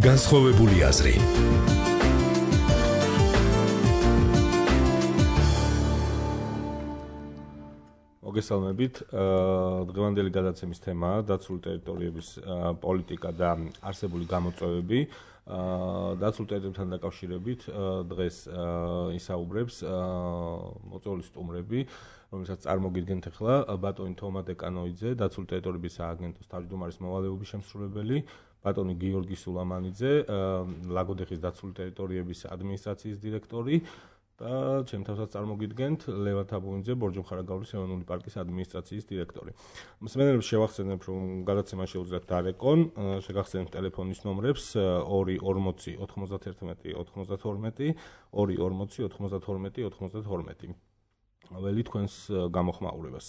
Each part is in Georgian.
განსხვავებული აზრი. მოგესალმებით. დღევანდელი გადაცემის თემაა დაცული ტერიტორიების პოლიტიკა და არსებული გამოწვევები. დაცულ ტერიტორიებთან დაკავშირებით დღეს ისაუბრებს მოწვეული სტუმრები, რომელსაც წარმოგიდგენთ ახლა ბატონი თომა დეკანოიძე, დაცული ტერიტორიების სააგენტოს თავმჯდომარის მოვალეობის შემსრულებელი, ბატონი გიორგი სულამანიძე, ლაგოდეხის დაცული ტერიტორიების ადმინისტრაციის დირექტორი და ჩემთასაც წარმოგიდგენთ ლევან თაბუინძე, ბორჯომხარაგაულის ეროვნული პარკის ადმინისტრაციის დირექტორი. მსმენელებს შევახსენებ, რომ გადაცემა შეუძლიათ დარეკონ, შეგახსენებთ ტელეფონის ნომრებს 240 91 92, 240 92 92. ველი თქვენს გამოხმაურებას.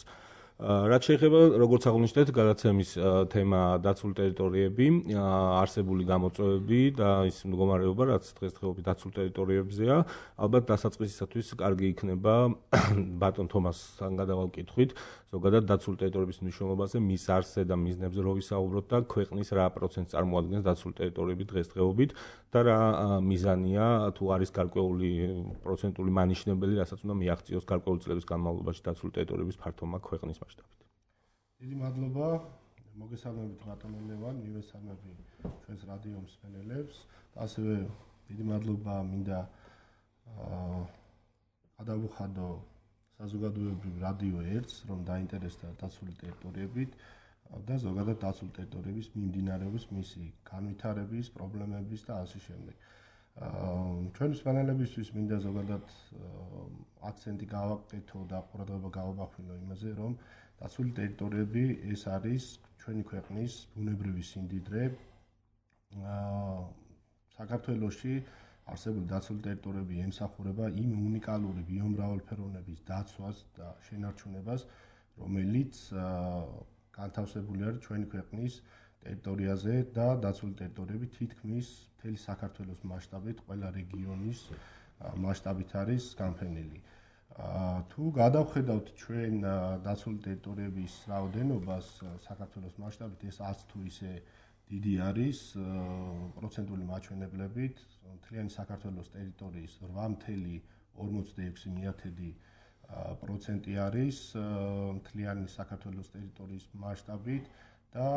რაც შეეხება, როგორც აღნიშნეთ, გადაცემის თემა დაცული ტერიტორიები, არსებული გამოწვევები და ის მდგომარეობა, რაც დღესდღეობით დაცულ ტერიტორიებზეა, ალბათ დასაწყისისათვის კარგი იქნება ბატონ თომასთან გადავალ კითხვით, ზოგადად დაცული ტერიტორიების მნიშვნელობაზე, მის არსზე და მიზნებზე რო ვისაუბროთ და ქვეყნის რა პროცენტს წარმოადგენს დაცული ტერიტორიები დღესდღეობით და რა მიზანია, თუ არის გარკვეული პროცენტული მანიშნებელი, რასაც უნდა მიაღწიოს გარკვეული წლების განმავლობაში დაცული ტერიტორიების ფართობმა ქვეყნის მასშტაბით. დიდი მადლობა, მოგესალმებით ბატონო ლევან, მივესალმები ჩვენს რადიო მსმენელებს. ასევე დიდი მადლობა მინდა გადავუხადო საზოგადოებრივ რადიო 1-ს, რომ დაინტერესდა დაცული ტერიტორიებით და ზოგადად დაცული ტერიტორიების მიმდინარეობის მისი განვითარების, პრობლემების და ასე შემდეგ. ჩვენი მსმენელებისთვის მინდა ზოგადად აქცენტი გავაკეთო და ყურადღება გავაბახვილო იმაზე, რომ დაცული ტერიტორიები ეს არის ჩვენი ქვეყნის ბუნებრივი სიმდიდრე. საქართველოში არსებული დაცული ტერიტორიები ემსახურება იმ უნიკალური ბიომრავალფეროვნების დაცვას და შენარჩუნებას, რომელიც განთავსებული არის ჩვენი ქვეყნის ტერიტორიაზე და დაცული ტერიტორიები თითქმის მთელი საქართველოს მასშტაბით, ყველა რეგიონის მასშტაბით არის განფენილი. თუ გადავხედავთ ჩვენ დაცული ტერიტორიების რაოდენობას საქართველოს მასშტაბით, ეს არც თუ ისე დიდი არის პროცენტული მაჩვენებლებით, მთლიანი საქართველოს ტერიტორიის 8.46% არის მთლიანი საქართველოს ტერიტორიის მასშტაბით და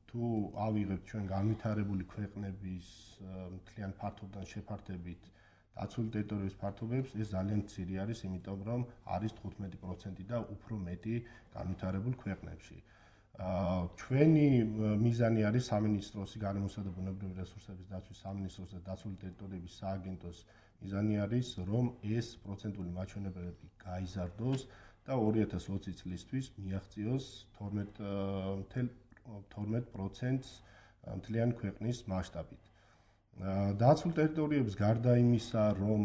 თუ ავიღებთ ჩვენ განვითარებული ქვეყნების მთლიან ფართობთან შეფართებით დაცული ტერიტორიების ფართობებს, ეს ძალიან მცირე არის, იმიტომ რომ არის 15% და უფრო მეტი განვითარებულ ქვეყნებში. ჩვენი მიზანი არის სამინისტროს გარემოსა და ბუნებრივი რესურსების დაცვის სამინისტროს და დაცული ტერიტორიების სააგენტოს მიზანი არის, რომ ეს პროცენტული მაჩვენებლები გაიზარდოს და 2020 წლისთვის მიაღწიოს 12% მთლიანი ქვეყნის მასშტაბით. დაცულ ტერიტორიებს გარდა იმისა, რომ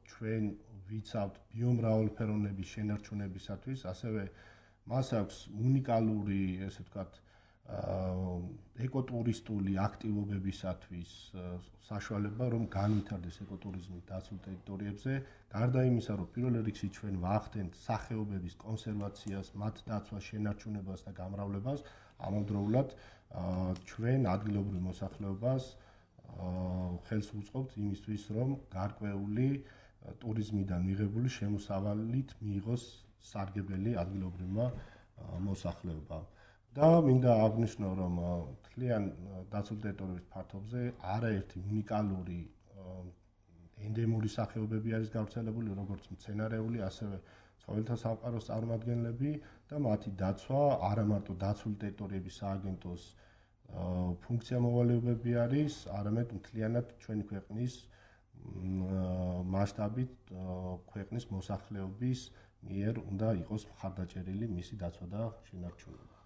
ჩვენ ვიცავთ ბიომრავალფეროვნების შენარჩუნებისათვის, ასევე მას აქვს უნიკალური, ესე ვთქვათ, ეკოტურისტული აქტივობებისათვის საშუალება, რომ განვითარდეს ეკოტურიზმი დაცულ ტერიტორიებზე. გარდა იმისა, რომ პირველ რიგში ჩვენ ვახდენთ სახეობების კონსერვაციას, მათ დაცვას, შენარჩუნებას და გამრავლებას, ამავდროულად ჩვენ ადგილობრივ მოსახლეობას ხელს ვუწყობთ იმისთვის, რომ გარკვეული ტურიზმიდან მიღებული შემოსავალით მიიღოს სარგებელი ადგილობრივმა მოსახლეობამ. და მინდა აღნიშნო, რომ მთლიან დაცულ ტერიტორიების ფართობზე არაერთი უნიკალური ენდემური სახეობები არის გავრცელებული, როგორც მცენარეული, ასევე ცხოველთა სამყაროს წარმომადგენლები და მათი დაცვა არა მარტო დაცული ტერიტორიების სააგენტოს ფუნქცია მოვალეობები არის, არამედ მთლიანად ჩვენი ქვეყნის მასშტაბით ქვეყნის მოსახლეობის მიერ უნდა იყოს მხარდაჭერილი მისი დაცვა და შენარჩუნება.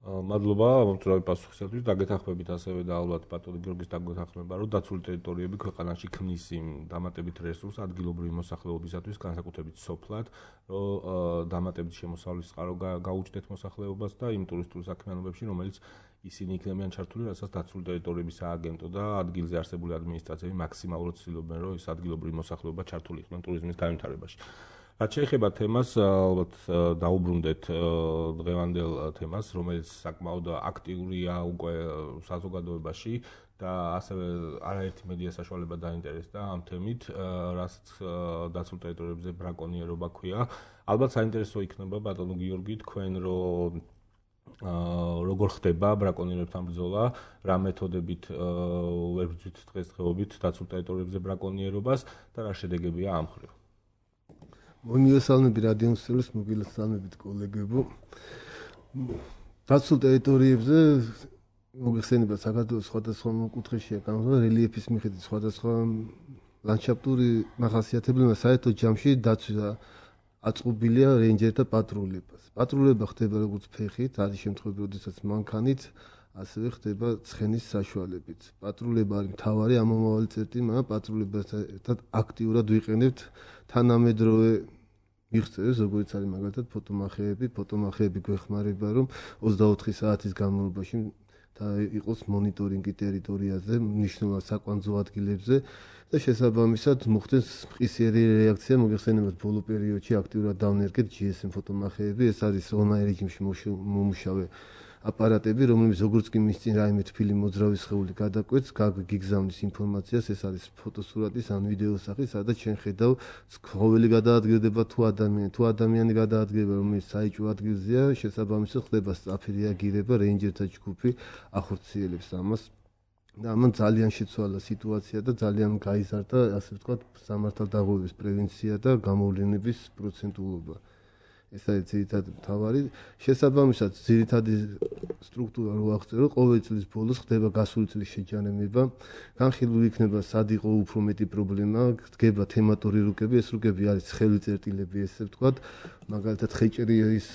მადლობა მომწვევი პასუხისათვის. დაგეთანხმებით ასევე და ალბათ ბატონი გიორგის დაგეთანხმება, რომ დაცული ტერიტორიები ქვეყანაში ქმნის იმ დამატებით რესურსს ადგილობრივი მოსახლეობისათვის, განსაკუთრებით სოფლად, რომ დამატებით შემოსავლის წყარო გაუჩნდეთ მოსახლეობას და იმ ტურისტულ საქმიანობებში, რომელიც ისინი იქნებიან ჩართული, რასაც დაცული ტერიტორიების სააგენტო და ადგილზე არსებული ადმინისტრაციები მაქსიმალურად ცდილობენ, რომ ეს ადგილობრივი მოსახლეობა ჩართული იქნონ ტურიზმის განვითარებაში. რაც შეეხება თემას, ალბათ დაუბრუნდეთ დღევანდელ თემას, რომელიც საკმაოდ აქტიურია უკვე საზოგადოებაში და ასევე არაერთი მედია საშუალება დაინტერესდა ამ თემით, რასაც დაცულ ტერიტორიებზე ბრაკონიერობა ქვია. ალბათ საინტერესო იქნება ბატონო გიორგი თქვენ როგორ ხდება ბრაკონიერებთან ბრძოლა, რა მეთოდებით ვერ ბრძვით დღესდღეობით დაცულ ტერიტორიებზე ბრაკონიერობას და რა შედეგებია ამ მხრივ. მოგესალმებით რადიოსელს, მოგესალმებით კოლეგებო. დაცულ ტერიტორიებზე მოგეხსენება საქართველოს სხვადასხვა კუთხეშია განხილვა რელიეფის მიხედვით სხვადასხვა ლანდშაფტური მახასიათებლები, საერთო ჯამში დაცვა აწყობილია რეინჯერთა პატრულებას. პატრულება ხდება როგორც ფეხით, არის შემთხვევები, როდესაც მანქანით, ასევე ხდება ცხენის საშუალებით. პატრულება არის მთავარი ამომავალი წერტილი, მაგრამ პატრულებასთან ერთად აქტიურად ვიყენებთ თანამედროვე მიღწევებს, როგორც არის მაგალითად ფოტომახეები გვეხმარება, რომ 24 საათის განმავლობაში იყოს მონიტორინგი ტერიტორიაზე, მნიშვნელოვან საკვანძო ადგილებზე და შესაბამისად მოხდეს მყისიერი რეაქცია. მოგეხსენებათ ბოლო პერიოდში აქტიურად დავნერგეთ GSM ფოტომახეები, ეს არის ონლაინ რეჟიმში მომუშავე აპარატები, რომლებიც როგორც კი მის წინ რაიმე თბილი მოძრავი სხეული გადაკვეთს, გიგზავნის ინფორმაციას, ეს არის ფოტოსურათის ან ვიდეოს სახით, სადაც ჩვენ ხედავ ცხოველი გადაადგილდება თუ ადამიანი გადაადგილება, რომელიც საიჭვო ადგილზეა, შესაბამისად ხდება სწრაფი რეაგირება, რეინჯერთა ჯგუფი ახორციელებს ამას. და ამან ძალიან შეცვალა სიტუაცია და ძალიან გაიზარდა, ასე ვთქვათ, სამართალდაღუების პრევენცია და გამოვლენების პროცენტულობა. ეს არის ძირითადი მთავარი. შესაბამისად, ძირითადი სტრუქტურა რო აღწერო, ყოველი წლის ბოლოს ხდება გასული წლის შეჯამება. განხილული იქნება სად იყო უფრო მეტი პრობლემა, დგება თემატური რუკები, ეს რუკები არის ცხელი წერტილები, ესე ვთქვათ, მაგალითად ხეჭერის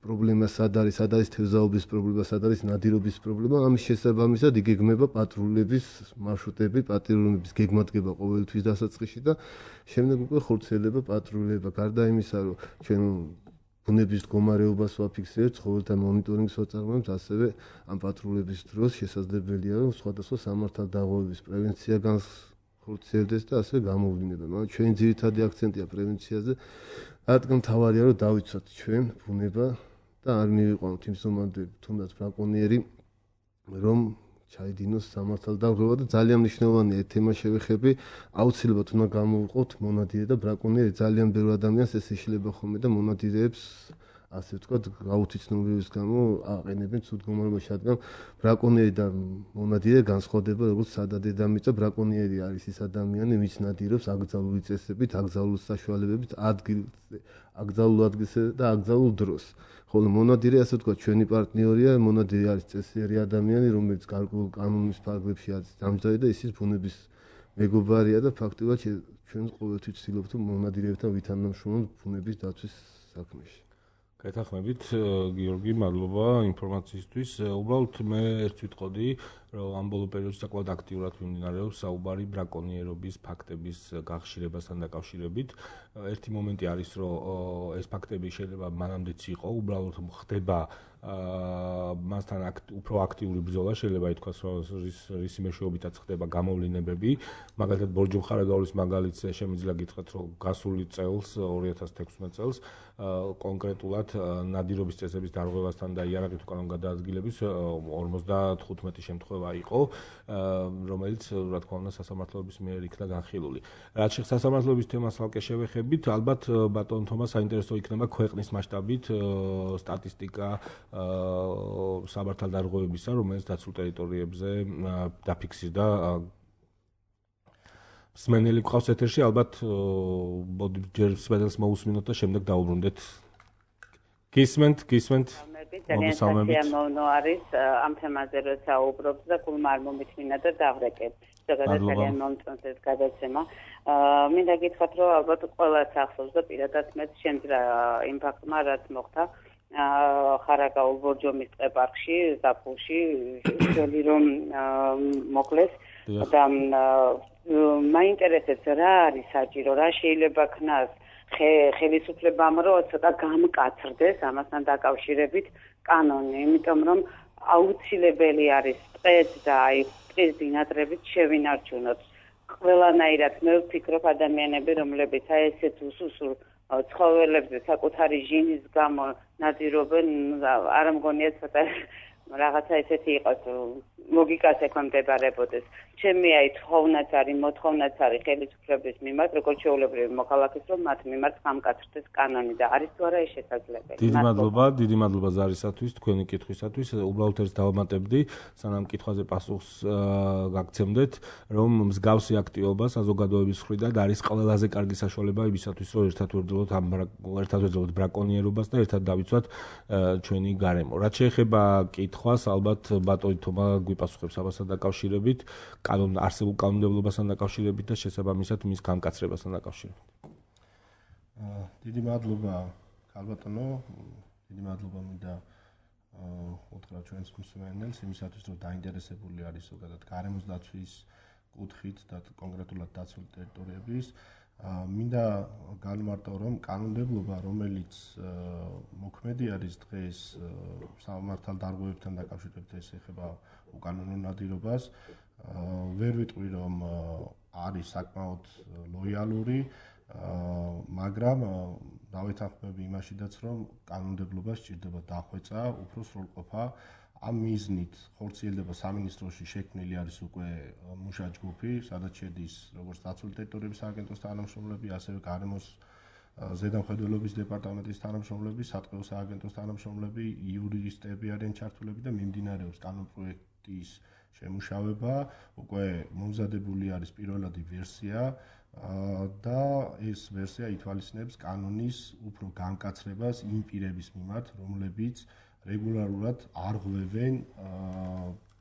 პრობლემა სად არის თევზაობის პრობლემა, სად არის ნადირობის პრობლემა, ამის შესაბამისად იგეგმება პატრულების მარშრუტები, პატრულების გეგმა დგება ყოველთვის დასაწყისში და შემდეგ უკვე ხორციელდება პატრულება. გარდა იმისა, რომ ჩვენ ბუნების მდგომარეობას ვაფიქსირებთ, ცხოველთა მონიტორინგს ვაწარმოებთ, ასევე ამ პატრულების დროს შესაძლებელია, რომ სხვადასხვა სამართალდაღუების პრევენცია განხორციელდეს და ასევე გამოვლინდება. მაგრამ ჩვენი ძირითადი აქცენტია პრევენციაზე, რადგან მთავარია, რომ დავიცვათ ჩვენ ბუნება და არ მივიყვანოთ იმ ზომამდე თუნდაც ბრაკონიერი, რომ ჩაიდინოს სამართალდაღუება და ძალიან მნიშვნელოვანია ეს თემა შევეხები, აუცილებლად უნდა გამოვიყოთ მონადირე და ბრაკონიერი. ძალიან ბევრი ადამიანს ეს ეშლება ხოლმე და მონადირეებს, ასე ვთქვათ, გაუთიცნობების გამო აყენებენ ცუდ მდგომარეობაში, რადგან ბრაკონიერი და მონადირე განსხვავდება როგორც სადადედამიწა. ბრაკონიერი არის ის ადამიანი, ვინც ნადირობს აკრძალული წესებით, აკრძალული საშუალებებით, აკრძალულ ადგილზე და აკრძალულ დროს. ხოლო მონადირე, ასე ვთქვათ, ჩვენი პარტნიორია, მონადირე არის წესიერი ადამიანი, რომელიც გარკვეულ კანონის ფარგლებში არის დამჯდარი და ისიც ბუნების მეგობარია და ფაქტობრივად ჩვენ ყოველთვის ვცდილობთ მონადირეებთან ვითანამშრომლოთ ბუნების დაცვის საქმეში. გეთანხმებით, გიორგი, მადლობა ინფორმაციისთვის. უბრალოდ მე ერთ ვიტყოდი, რომ ამ ბოლო პერიოდში საკმაოდ აქტიურად მიმდინარეობს საუბარი ბრაკონიერობის ფაქტების გახშირებასთან დაკავშირებით. ერთი მომენტი არის, რომ ეს ფაქტები შეიძლება მანამდეც იყო, უბრალოდ ხდება მასთან უფრო აქტიური ბრძოლა, შეიძლება ითქვას, რომ რის მეშვეობითაც ხდება გამოვლინებები. მაგალითად, ბორჯომხარაგაულის მაგალითს შემიძლია გითხრათ, რომ გასული წელს, 2016 წელს, კონკრეტულად ნადირობის წესების დარღვევასთან და იარაღით უკანონო გადაადგილების 55 შემთხვევა იყო, რომელიც, რა თქმა უნდა, სასამართლოების მიერ იქნა განხილული. რაც შეეხება სასამართლოების თემას ალკე შევეხებით, ალბათ ბატონ თომას საინტერესო იქნება ქვეყნის მასშტაბით სტატისტიკა სამართალდაღუებისა, რომელიც დაცულ ტერიტორიებზე დაფიქსირდა. სმენელი გყავს ეთერში, ალბათ ჯერ სმენელს მოусმინოთ და შემდეგ დაუბრუნდეთ. გისმენთ. ძალიან მომნო არის ამ თემაზე რო საუბრობთ და გულმა არ მომიწმინა და დავრეკეთ. ძალიან მომწონს ეს გადაცემა. მინდა გითხრათ, რომ ალბათ ყველას ახსოვს და პირადად მეც შემძრა იმ ფაქტმა, რაც მოხდა ხარაგაულ ბორჯომის ტყეპარკში, ზაფხულში, შევი რომ მოკლეს და მაინტერესებს რა არის საჭირო, რა შეიძლება ქნას ხელისუფლებამ რომ ცოტა გამკაცრდეს ამასთან დაკავშირებით კანონი, იმიტომ რომ აუცილებელი არის ტყეთ და აი ტყის ბინადრებით შევინარჩუნოთ. ყველანაირად მე ვფიქრობ ადამიანები, რომლებიც აი ესეთ უსუსურ ცხოველებზე საკუთარი ჟინის გამო ნადირობენ, არ მგონია ცოტა რაღაცა ესეთი იყოს ლოგიკას ექვემდებარებოდეს. ჩემი აი თხოვნაც არის, მოთხოვნაც არის ხელისუფლების მიმართ, როგორც შეულებრივი მოქალაქის, რომ მათ მიმართ გამკაცრდეს კანონი და არის თუ არა ეს შესაძლებელი. დიდი მადლობა ზარისათვის, თქვენი კითხვისათვის. უბრალოდ ერთ დავამატებდი, სანამ კითხვაზე პასუხს გაგცემდეთ, რომ მსგავსი აქტივობა საზოგადოების მხრიდან არის ყველაზე კარგი საშუალება იმისათვის, რომ ერთად ვერძელოთ ბრაკონიერობას და ერთად დავიცვათ ჩვენი გარემო. რაც შეეხება კითხვას, ალბათ ბატონი თომა გვიპასუხებს ამასთან დაკავშირებით, არსებულ კანონმდებლობასთან დაკავშირებით და შესაბამისად მის გამკაცრებასთან დაკავშირებით. დიდი მადლობა ქალბატონო, დიდი მადლობა მინდა უთხრა ჩვენს მსმენელს იმისათვის, რომ დაინტერესებული არის ზოგადად გარემოს დაცვის კუთხით და კონკრეტულად დაცული ტერიტორიების. მინდა განმარტო, რომ კანონმდებლობა, რომელიც მოქმედი არის დღეს სამართალდარღვევებთან დაკავშირებით, ეს ეხება უკანონო ნადირობას, ვერ ვიტყვი, რომ არის საკმაოდ ლოიალური, მაგრამ დავეთანხმები იმაშიდაც, რომ კანონმდებლობა სჭირდება დახვეწა, უფრო სრულყოფა. ამ მიზნით ხორციელდება სამინისტროში შექმნილი არის უკვე მუშა ჯგუფი, სადაც შედის როგორც დაცული ტერიტორიების სააგენტოს თანამშრომლები, ასევე გარემოს ზედამხედველობის დეპარტამენტის თანამშრომლები, სატყეო სააგენტოს თანამშრომლები, იურისტები არიან ჩართულები და მიმდინარეობს კანონპროექტის შემუშავება, უკვე მომზადებული არის პირველადი ვერსია და ეს ვერსია ითვალისწინებს კანონის უფრო განკაცრებას იმ პირების მიმართ, რომლებიც რეგულარულად არ ღვევენ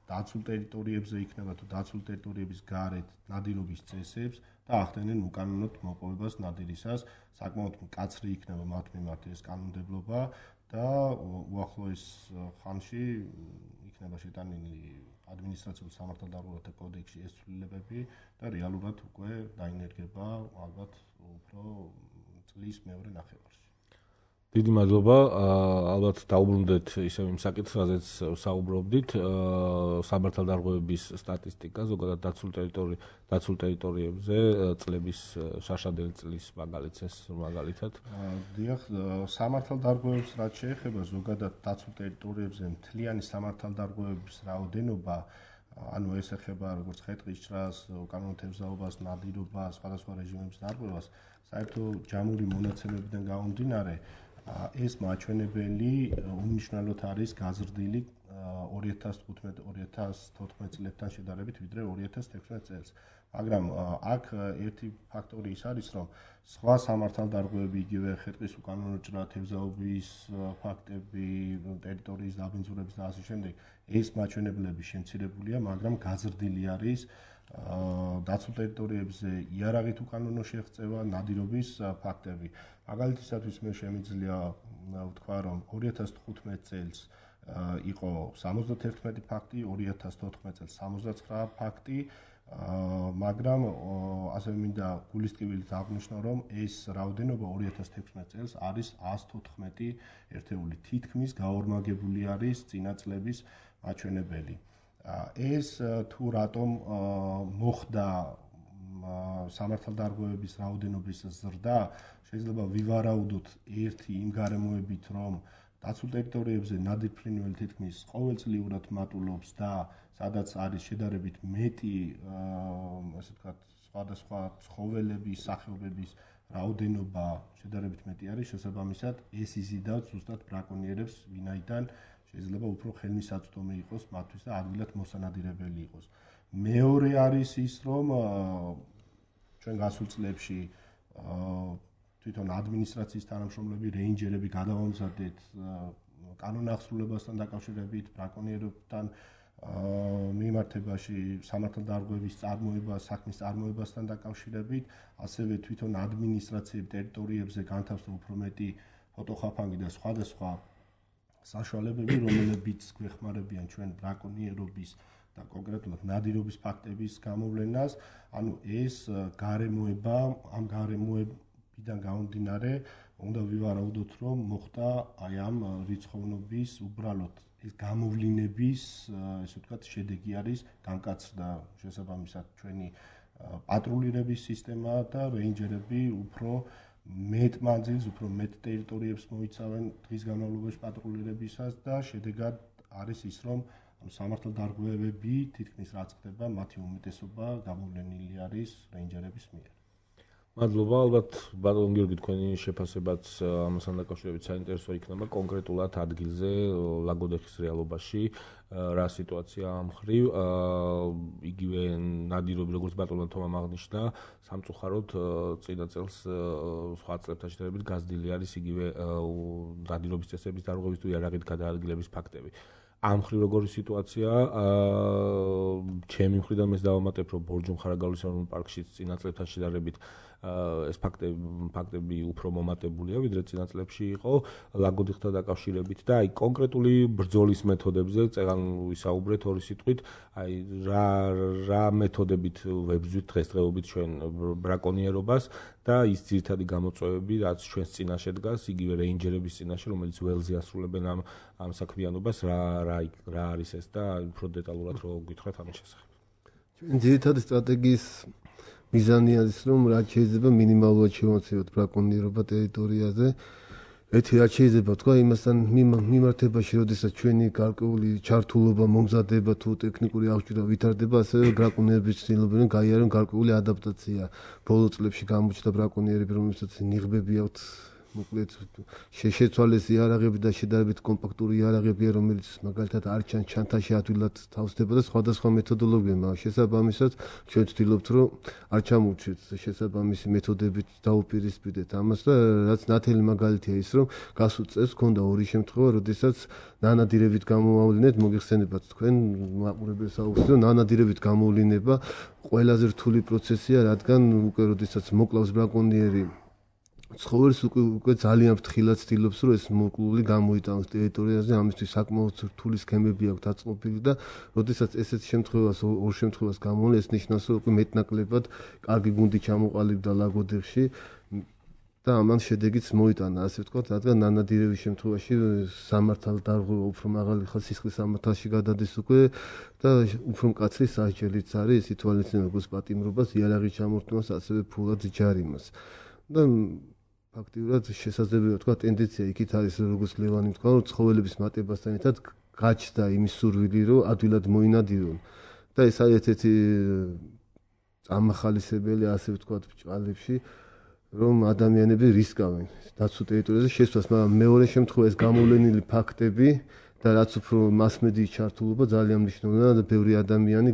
დაცულ ტერიტორიებზე იქნება თუ დაცულ ტერიტორიების გარეთ ნადირობის წესებს და ახდენენ უკანონოდ მოპოვებას ნადირისას. საკმაოდ მკაცრი იქნება მათ მიმართ ეს კანონმდებლობა და უახლოეს ხანში იქნება შეტანილი ადმინისტრაციულ სამართალდარღვევათა კოდექსში ეს ცვლილებები და რეალურად უკვე დაინერგება ალბათ უფრო წლის მეორე ნახევარში. დიდი მადლობა. ალბათ დაუბრუნდეთ ისევ იმ საკითხს, რაზეც საუბრობდით, სამართალდარღვევების სტატისტიკა, ზოგადად დაცულ ტერიტორიებზე წლების შაშადელი წლის მაგალითად. დიახ, სამართალდარღვევებს რაც შეეხება ზოგადად დაცულ ტერიტორიებზე მთლიანი სამართალდარღვევების რაოდენობა, ანუ ეს ეხება როგორც ხე-ტყის ჭრას, უკანონო თევზაობას, ნადირობას, სხვადასხვა რეჟიმების დარღვევას, საერთო ჯამური მონაცემებიდან გამომდინარე, ეს მაჩვენებელი უმნიშვნელოდ არის გაზრდილი 2015-2014 წლებთან შედარებით, ვიდრე 2016 წელს. მაგრამ აქ ერთი ფაქტორი ის არის, რომ სხვა სამართალდარღვევები, იგივე ხე-ტყის უკანონო ჭრა, თევზაობის ფაქტები, ტერიტორიის დაბინძურების და ასე შემდეგ, ეს მაჩვენებლები შემცირებულია, მაგრამ გაზრდილი არის დაცულ ტერიტორიებზე იარაღით უკანონო შეღწევა, ნადირობის ფაქტები. მაგალითისათვის მე შემიძლია ვთქვა, რომ 2015 წელს იყო 71 ფაქტი, 2014 წელს 69 ფაქტი, მაგრამ ასევე მინდა გულისწყვილით აღნიშნო, რომ ეს რაოდენობა 2016 წელს არის 114 ერთეული, თითქმის გაორმაგებული არის წინა წლების მაჩვენებელი. ეს თუ რატომ მოხდა სამართალდარღვევების რაოდენობის ზრდა, შეიძლება ვივარაუდოთ ერთი იმ გარემოებით, რომ დაცულ ტერიტორიებზე ნადირფრინველი თითქმის ყოველწლიურად მატულობს და სადაც არის შედარებით მეტი, ასე ვთქვათ, სხვადასხვა ცხოველების, სახეობების რაოდენობა შედარებით მეტი არის, შესაბამისად ეს იზიდავს ზუსტად ბრაკონიერებს, ვინაიდან შეიძლება უფრო ხელმისაწვდომი იყოს მათთვის და ადგილად მოსანადირებელი იყოს. მეორე არის ის, რომ ჩვენ გასულ წლებში თვითონ ადმინისტრაციის თანამშრომლები, რეინჯერები გადავამზადეთ კანონახსრულებასთან დაკავშირებით, ბრაკონიერებთან მიმართებაში, სამართალდარღვევის წარმოება, საქმის წარმოებასთან დაკავშირებით, ასევე თვითონ ადმინისტრაციების ტერიტორიებზე განთავსდა უფრო მეტი ფოტოხაფანგი და სხვადასხვა საშუალებები, რომლებიც გვეხმარებიან ჩვენ ბრაკონიერობის და კონკრეტულად ნადირობის ფაქტების გამოვლენას. ანუ ეს გარემოება, ამ გარემოებიდან გამომდინარე, უნდა ვივარაუდოთ, რომ მოხდა აი ამ რიცხოვნობის უბრალოდ ეს გამოვლინების, ესე ვთქვათ, შედეგი არის განკაცრდა შესაბამისად ჩვენი პატრულირების სისტემა და რეინჯერები უფრო მეტ მანძილს, უფრო მეტ ტერიტორიებს მოიცავენ დღის განმავლობაში პატრულირებისას და შედეგად არის ის, რომ სამართალდარღვევები თითქმის რაც ხდება, მათი უმეტესობა გამოვლენილი არის რეინჯერების მიერ. მადლობა, ალბათ ბატონ გიორგი თქვენი შეფასებაც ამასთან დაკავშირებით საინტერესო იქნება კონკრეტულად ადგილზე ლაგოდეხის რეალობაში რა სიტუაცია ამ მხრივ იგივე ნადირობი როგორც ბატონმა თომამ აღნიშნა სამწუხაროდ წინა წელს სხვა წლებთან შედარებით გაზრდილი არის იგივე ნადირობის წესების დარღვევის თუ იარაღით გადაადგილების ფაქტები. ამ მხრივ როგორი სიტუაციაა ჩემი მხრიდან მე დავამატებ რომ ბორჯომხარაგაულის ეროვნულ პარკში წინა წლებთან შედარებით ეს ფაქტები უფრო მომატებულია ვიდრე წინა წლებში იყო ლაგოდიხთან დაკავშირებით და აი კონკრეტული ბრძოლის მეთოდებზე წეგან ვისაუბრეთ ორი სიტყვით აი რა მეთოდებით ვებრძვით დღესდღეობით ჩვენ ბრაკონიერობას და ის ძირითადი გამოწვევები რაც ჩვენს წინაშე დგას იგივე რეინჯერების წინაშე რომელიც ველზე ასრულებენ ამ საქმიანობას რა არის ეს და უფრო დეტალურად რო გითხრათ ამის შესახებ ჩვენ ძირითადი სტრატეგიის მიზანი არის რომ რაც შეიძლება მინიმალურად შევაცვლოთ ბრაკონიერობა ტერიტორიაზე. ერთი რაც შეიძლება თქვა იმასთან მიმართებაში, როდესაც ჩვენი გარკვეული ჩართულობა მომზადება თუ ტექნიკური აღჭურვა ვითარდება, ასევე ბრაკონიერების ცდილობენ გაიარონ გარკვეული ადაპტაცია. ბოლო წლებში გამოჩნდა ბრაკონიერები, რომელსაც ნიღბები აქვთ მოკლედ შეცვალეს იარაღები და შედარებით კომპაქტური იარაღებია, რომელიც მაგალითად არ ჩანთაში ადვილად თავსდება და სხვადასხვა მეთოდოლოგია მაქვს. შესაბამისად, ჩვენ ვცდილობთ, რომ არ ჩამოვჩეთ შესაბამისი მეთოდებით დაუპირისპირდეთ ამას და რაც ნათელი მაგალითია ის, რომ გასულ წელს ჰქონდა ორი შემთხვევა, როდესაც ნანადირებით გამოვავლინეთ, მოგიხსენებათ თქვენ მაყურებელს აუხსნით, რომ ნანადირებით გამოვლინება ყველაზე რთული პროცესია, რადგან უკვე როდესაც მოკლავს ბრაკონიერი ცხოველს უკვე ძალიან ფრთხილად ცდილობს რომ ეს მოკლული გამოიტანოს ტერიტორიაზე ამისთვის საკმაოდ რთული სქემები აქვს დაწყობილი და როდესაც ესეთ ორ შემთხვევას გამოვლენ ეს ნიშნავს რომ უკვე მეტნაკლებად კარგი გუნდი ჩამოყალიბდა ლაგოდეხში და ამან შედეგიც მოიტანა ასე ვთქვათ რადგან ნანადირების შემთხვევაში სამართალდარღვევა უფრო მაღალი ხალხის სისხლის სამართალში გადადის უკვე და უფრო მკაცრი სასჯელიც არის ის ითვალისწინებს როგორც პატიმრობას იარაღის ჩამორთმევას ასევე ფულად ჯარიმას და ფაქტიურად შესაძლებელია თქვა ტენდენცია იქით არის როგორც ლევანი თქვა რომ ცხოველების მატებასთან ერთად გაჩნდა იმის სურვილი რომ ადვილად მოინადირონ და ეს არის ერთ-ერთი წამახალისებელი ასე ვთქვათ ბჭყალებში რომ ადამიანები რისკავენ დაცულ ტერიტორიაზე შესვლას მაგრამ მეორე შემთხვევა ეს გამოვლენილი ფაქტები და რაც უფრო მასმედიის ჩართულობა ძალიან მნიშვნელოვანია და ბევრი ადამიანი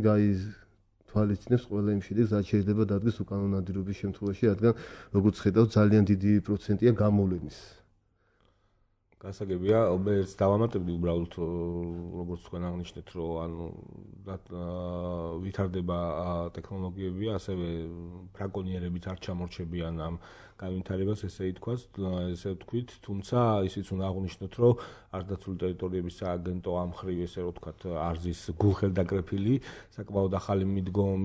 თვალისწინებს ყველა იმ შედეგს რაც შეიძლება დადგეს უკანონო ნადირობის შემთხვევაში რადგან როგორც ხედავთ ძალიან დიდი პროცენტია გამოვლენის გასაგებია მე დავამატებდი უბრალოდ როგორც თქვენ აღნიშნეთ რომ ანუ ვითარდება ტექნოლოგიები ასევე ბრაკონიერებით არ ჩამორჩებიან ამ განვითარებას ესე ვთქვით თუმცა ისიც უნდა აღვნიშნოთ რომ არდაცული ტერიტორიების სააგენტო ამ მხრივ ესე რომ ვთქვათ არზის გულხელდაკრეფილი საკმაოდ ახალი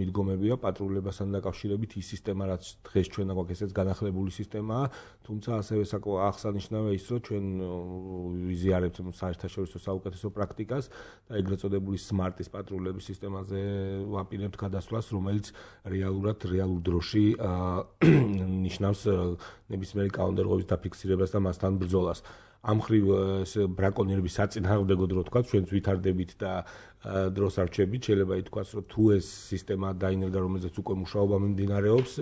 მიდგომებია პატრულებასთან დაკავშირებით ის სისტემა რაც დღეს ჩვენ გვაქვს ესეც განახლებული სისტემაა თუმცა ასევე აღსანიშნავია ის რომ ჩვენ ვიზიარებთ საერთაშორისო საუკეთესო პრაქტიკას და ეგრეთ წოდებული სმარტის პატრულების სისტემაზე ვაპირებთ გადასვლას რომელიც რეალურ დროში ნიშნავს ნებისმიერი კანონდარღვევის დაფიქსირებას და მასთან ბრძოლას. ამ მხრივ ბრაკონიერების საწინააღმდეგო დრო თქვა ჩვენც ვითარდებით და დროს არ რჩებით შეიძლება ითქვას რომ თუ ეს სისტემა დაინერგა რომელზეც უკვე მუშაობა მიმდინარეობს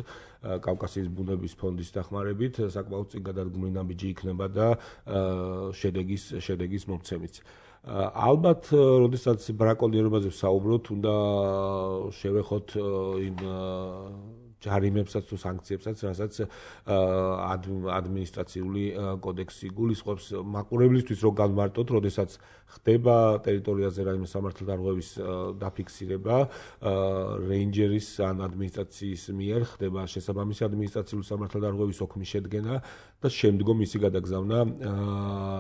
კავკასიის ბუნების ფონდის დახმარებით საკმაოდ წინ გადადგმული ნაბიჯი იქნება და შედეგის მომცემიც. ალბათ, როდესაც ბრაკონიერობაზე ვსაუბრობთ, უნდა შევეხოთ იმ ჯარიმებსაც თუ სანქციებსაც, რასაც ადმინისტრაციული კოდექსი გულისხმობს მაყურებლისთვის რო განმარტოთ, როდესაც ხდება ტერიტორიაზე რაიმე სამართალდარღვევის დაფიქსირება, რეინჯერის ან ადმინისტრაციის მიერ ხდება შესაბამისი ადმინისტრაციული სამართალდარღვევის ოქმის შედგენა და შემდგომ ისი გადაგზავნა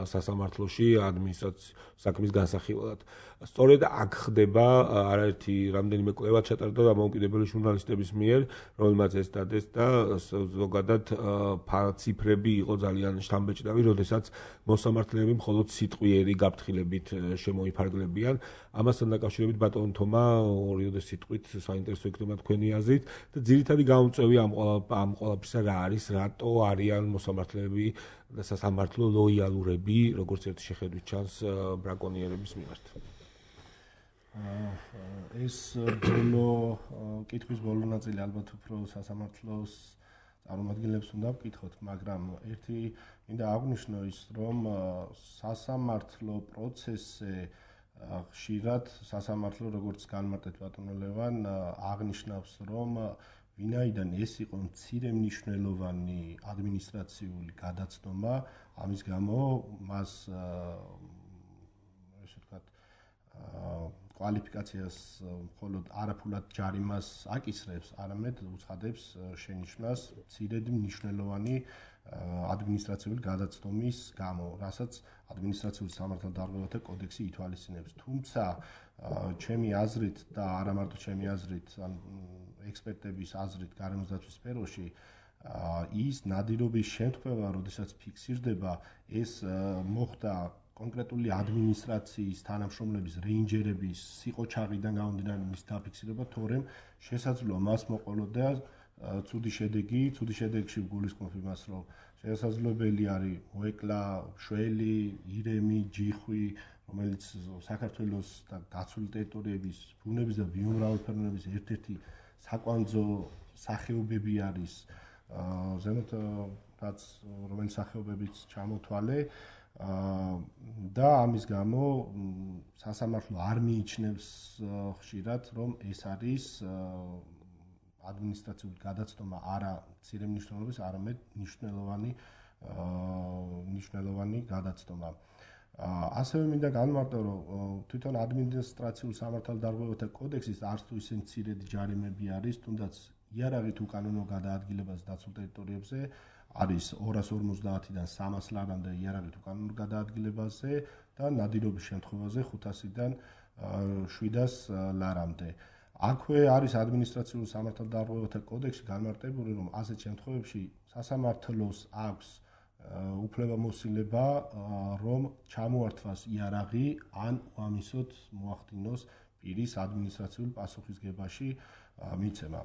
სასამართლოში ადმინისტრაციის საქმის განსახილველად. სწორედ აქ ხდება არაერთი რამდენიმე კვლევა ჩატარდა დამოუკიდებელი ჟურნალისტების მიერ, რომელმაც ეს დადეს და ზოგადად ციფრები იყო ძალიან შთამბეჭდავი, როდესაც მოსამართლეები მხოლოდ სიტყვიერი გაფრთხილებით შემოიფარგლებიან. ამასთან დაკავშირებით ბატონ თომა ორიოდე სიტყვით საინტერესო იქნება თქვენი აზრით და ძირითადი გამომწვევი ამ ყველაფრისა რა არის, რატო არიან მოსამართლეები და სასამართლო ლოიალურები, როგორც ერთი შეხედვით ჩანს ბრაკონიერების მიმართ. ეს ბოლო კითხვის ბოლო ნაწილი ალბათ უფრო სასამართლოს წარმომადგენლებს უნდა ვკითხოთ, მაგრამ ერთი მინდა აღვნიშნო ის, რომ სასამართლო პროცესზე ხშირად სასამართლო როგორც განმარტეთ ბატონო ლევან აღნიშნავს, რომ ვინაიდან ეს იყო მცირე მნიშვნელოვანი ადმინისტრაციული გადაცნობა, ამის გამო მას ესე ვთქვათ კვალიფიკაციას მხოლოდ არაფულად ჯარიმას აკისრებს, არამედ უცხადებს შენიშვნას მცირედ მნიშვნელოვანი ადმინისტრაციული გადაცნობის გამო, რასაც ადმინისტრაციული სამართალდარღვევათა კოდექსი ითვალისწინებს. თუმცა ჩემი აზრით და არა მარტო ჩემი აზრით, ან ექსპერტების აზრით გარემოს დაცვის სფეროში ის ნადირობის შემთხვევა, როდესაც ფიქსირდება, ეს მოხდა კონკრეტული ადმინისტრაციის თანამშრომლების, რეინჯერების სიყოჩაღიდან გამომდინარე მის დაფიქსირება, თორემ შესაძლოა მას მოყოლოდა ცუდი შედეგი, ცუდი შედეგში გულისხმობ იმას, რომ შესაძლებელი არის მოეკლა შველი, ირემი, ჯიხვი, რომელიც საქართველოს და დაცული ტერიტორიების ბუნების და ბიომრავალფეროვნების ერთ-ერთი საკვანძო სახეობები არის, ზემოთ რაც რომელიც სახეობებიც ჩამოთვალე და ამის გამო სასამართლო არ მიიჩნევს ხშირად, რომ ეს არის ადმინისტრაციული გადაცნობა არა მცირე მნიშვნელობის, არამედ მნიშვნელოვანი გადაცნობა. ასევე მინდა განმარტო, რომ თვითონ ადმინისტრაციული სამართალდარღვევათა კოდექსის არც თუ ისე მცირედი ჯარიმები არის, თუნდაც იარაღით უკანონო გადაადგილებას დაცულ ტერიტორიებზე არის 250-დან 300 ლარამდე იარაღით უკანონო გადაადგილებაზე და ნადირობის შემთხვევაზე 500-დან 700 ლარამდე. აქვე არის ადმინისტრაციული სამართალდარღვევათა კოდექსში განმარტებული, რომ ასეთ შემთხვევებში სასამართლოს აქვს უფლებამოსილება, რომ ჩამოართვას იარაღი ან უამისოდ მოახდინოს პირის ადმინისტრაციული პასუხისგებაში მიცემა.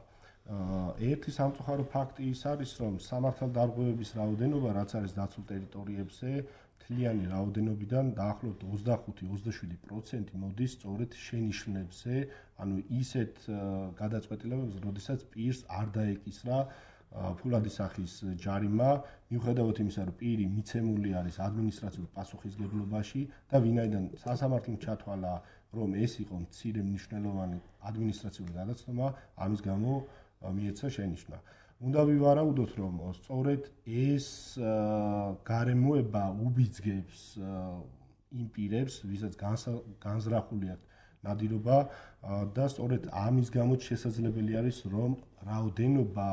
ერთი სამწუხარო ფაქტი ის არის, რომ სამართალდარღვევების რაოდენობა, რაც არის დაცულ ტერიტორიებზე, მთლიანი რაოდენობიდან დაახლოებით 25-27% მოდის სწორედ შენიშვნებზე, ანუ ისეთ გადაწყვეტილებებზე, როდესაც პირს არ დაეკისრა ფულადი სახის ჯარიმა, მიუხედავად იმისა, რომ პირი მიცემული არის ადმინისტრაციულ პასუხისგებლობაში და ვინაიდან სასამართლომ ჩათვალა, რომ ეს იყო მცირე მნიშვნელოვანი ადმინისტრაციული გადაცნობა, ამის გამო მიეცა შენიშვნა. უნდა ვივარაუდოთ, რომ სწორედ ეს გარემოება უბიძგებს იმ პირებს, ვისაც განზრახული აქვს ნადირობა და სწორედ ამის გამოც შესაძლებელი არის, რომ რაოდენობა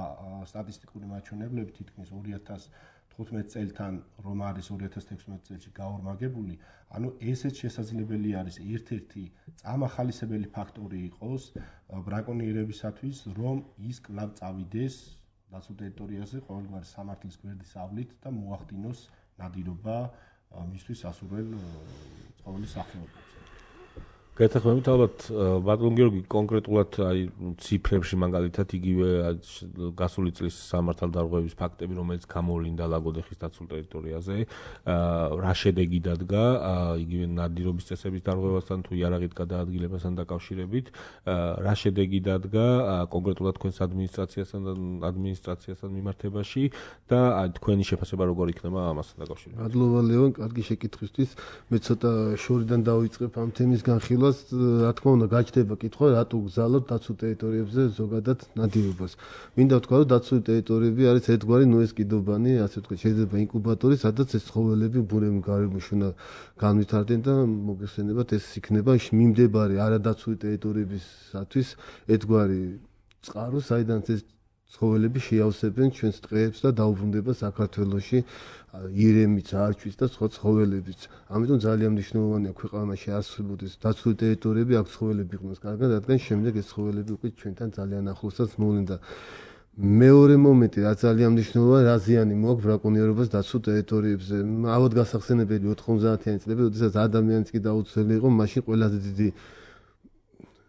სტატისტიკური მაჩვენებლები თითქმის 2015 წელთან რომ არის 2016 წელში გაორმაგებული, ანუ ესეც შესაძლებელი არის ერთ-ერთი წამახალისებელი ფაქტორი იყოს ბრაკონიერებისათვის, რომ ის კვლავ წავიდეს დაცულ ტერიტორიაზე ყოველგვარი სამართლის გვერდის ავლით და მოახდინოს ნადირობა მისთვის ასურველ ცხოველის სახეობებზე. გეთახმებით ალბათ ბატონ გიორგი კონკრეტულად აი ციფრებში მაგალითად იგივე გასული წლის სამართალდარღვევების ფაქტები, რომელიც გამოვლინდა ლაგოდეხის დაცულ ტერიტორიაზე, რა შედეგი დადგა იგივე ნადირობის წესების დარღვევასთან თუ იარაღით გადაადგილებასთან დაკავშირებით, რა შედეგი დადგა კონკრეტულად თქვენს ადმინისტრაციასთან მიმართებაში და თქვენი შეფასება როგორ იქნება ამასთან დაკავშირებით? მადლობა ლევან, კარგი შეკითხვისთვის. მე ცოტა შორიდან დავიწყებ ამ თემის განხილვას. რა თქმა უნდა, გაჩნდება კითხვა, რატო გზავნოთ დაცულ ტერიტორიებზე ზოგადად ნადირობას. მინდა ვთქვა, რომ დაცული ტერიტორიები არის ერთგვარი ნოეს კიდობანი, ასე ვთქვათ, შეიძლება ინკუბატორი, სადაც ეს ცხოველები ბუნებრივ გარემოში უნდა განვითარდნენ და მოგეხსენებათ, ეს იქნება მიმდებარე არადაცული ტერიტორიებისათვის ერთგვარი წყარო, საიდან ეს ცხოველები შეავსებენ ჩვენს ტყეებს და დაუბრუნდება საქართველოში ირემიც, არჩვის და სხვა ცხოველებიც. ამიტომ ძალიან მნიშვნელოვანია ქვეყანაში არსებობდეს დაცული ტერიტორიები, აქ ცხოველები იყვნენ კარგად, რადგან შემდეგ ეს ცხოველები უკვე ჩვენთან ძალიან ახლოსაც მოვლენ და მეორე მომენტი რაც ძალიან მნიშვნელოვანია, რა ზიანი მოაქვს ბრაკონიერობას დაცულ ტერიტორიებზე. ავად გასახსენებელი 90-იანი წლები, როდესაც ადამიანიც კი დაუცველი იყო, მაშინ ყველაზე დიდი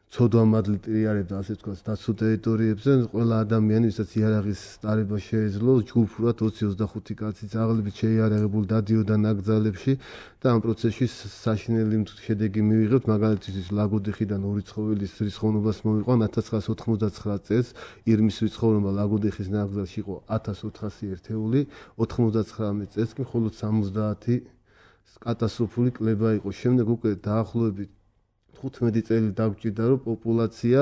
ცოდვამადლი ტრიარებდა, ასე ვთქვათ, დაცულ ტერიტორიებზე, ყველა ადამიანი, ვისაც იარაღის სტარება შეეძლო, ჯგუფურად 20-25 კაცი ძაღლებით შეიარაღებული დადიოდა ნაკრძალებში და ამ პროცესში საშინელი შედეგი მივიღებთ, მაგალითად, ლაგოდიხიდან ორი ცხოველის რიცხოვნობას მოვიყვან 1999 წელს, ირმის რიცხოვნობა ლაგოდიხის ნაკრძალში იყო 1400 ერთეული, 99 წელს კი მხოლოდ 70 კატასტროფული კლება იყო. შემდეგ უკვე დაახლოებით 15 წელი დაგვჭირდა, რომ პოპულაცია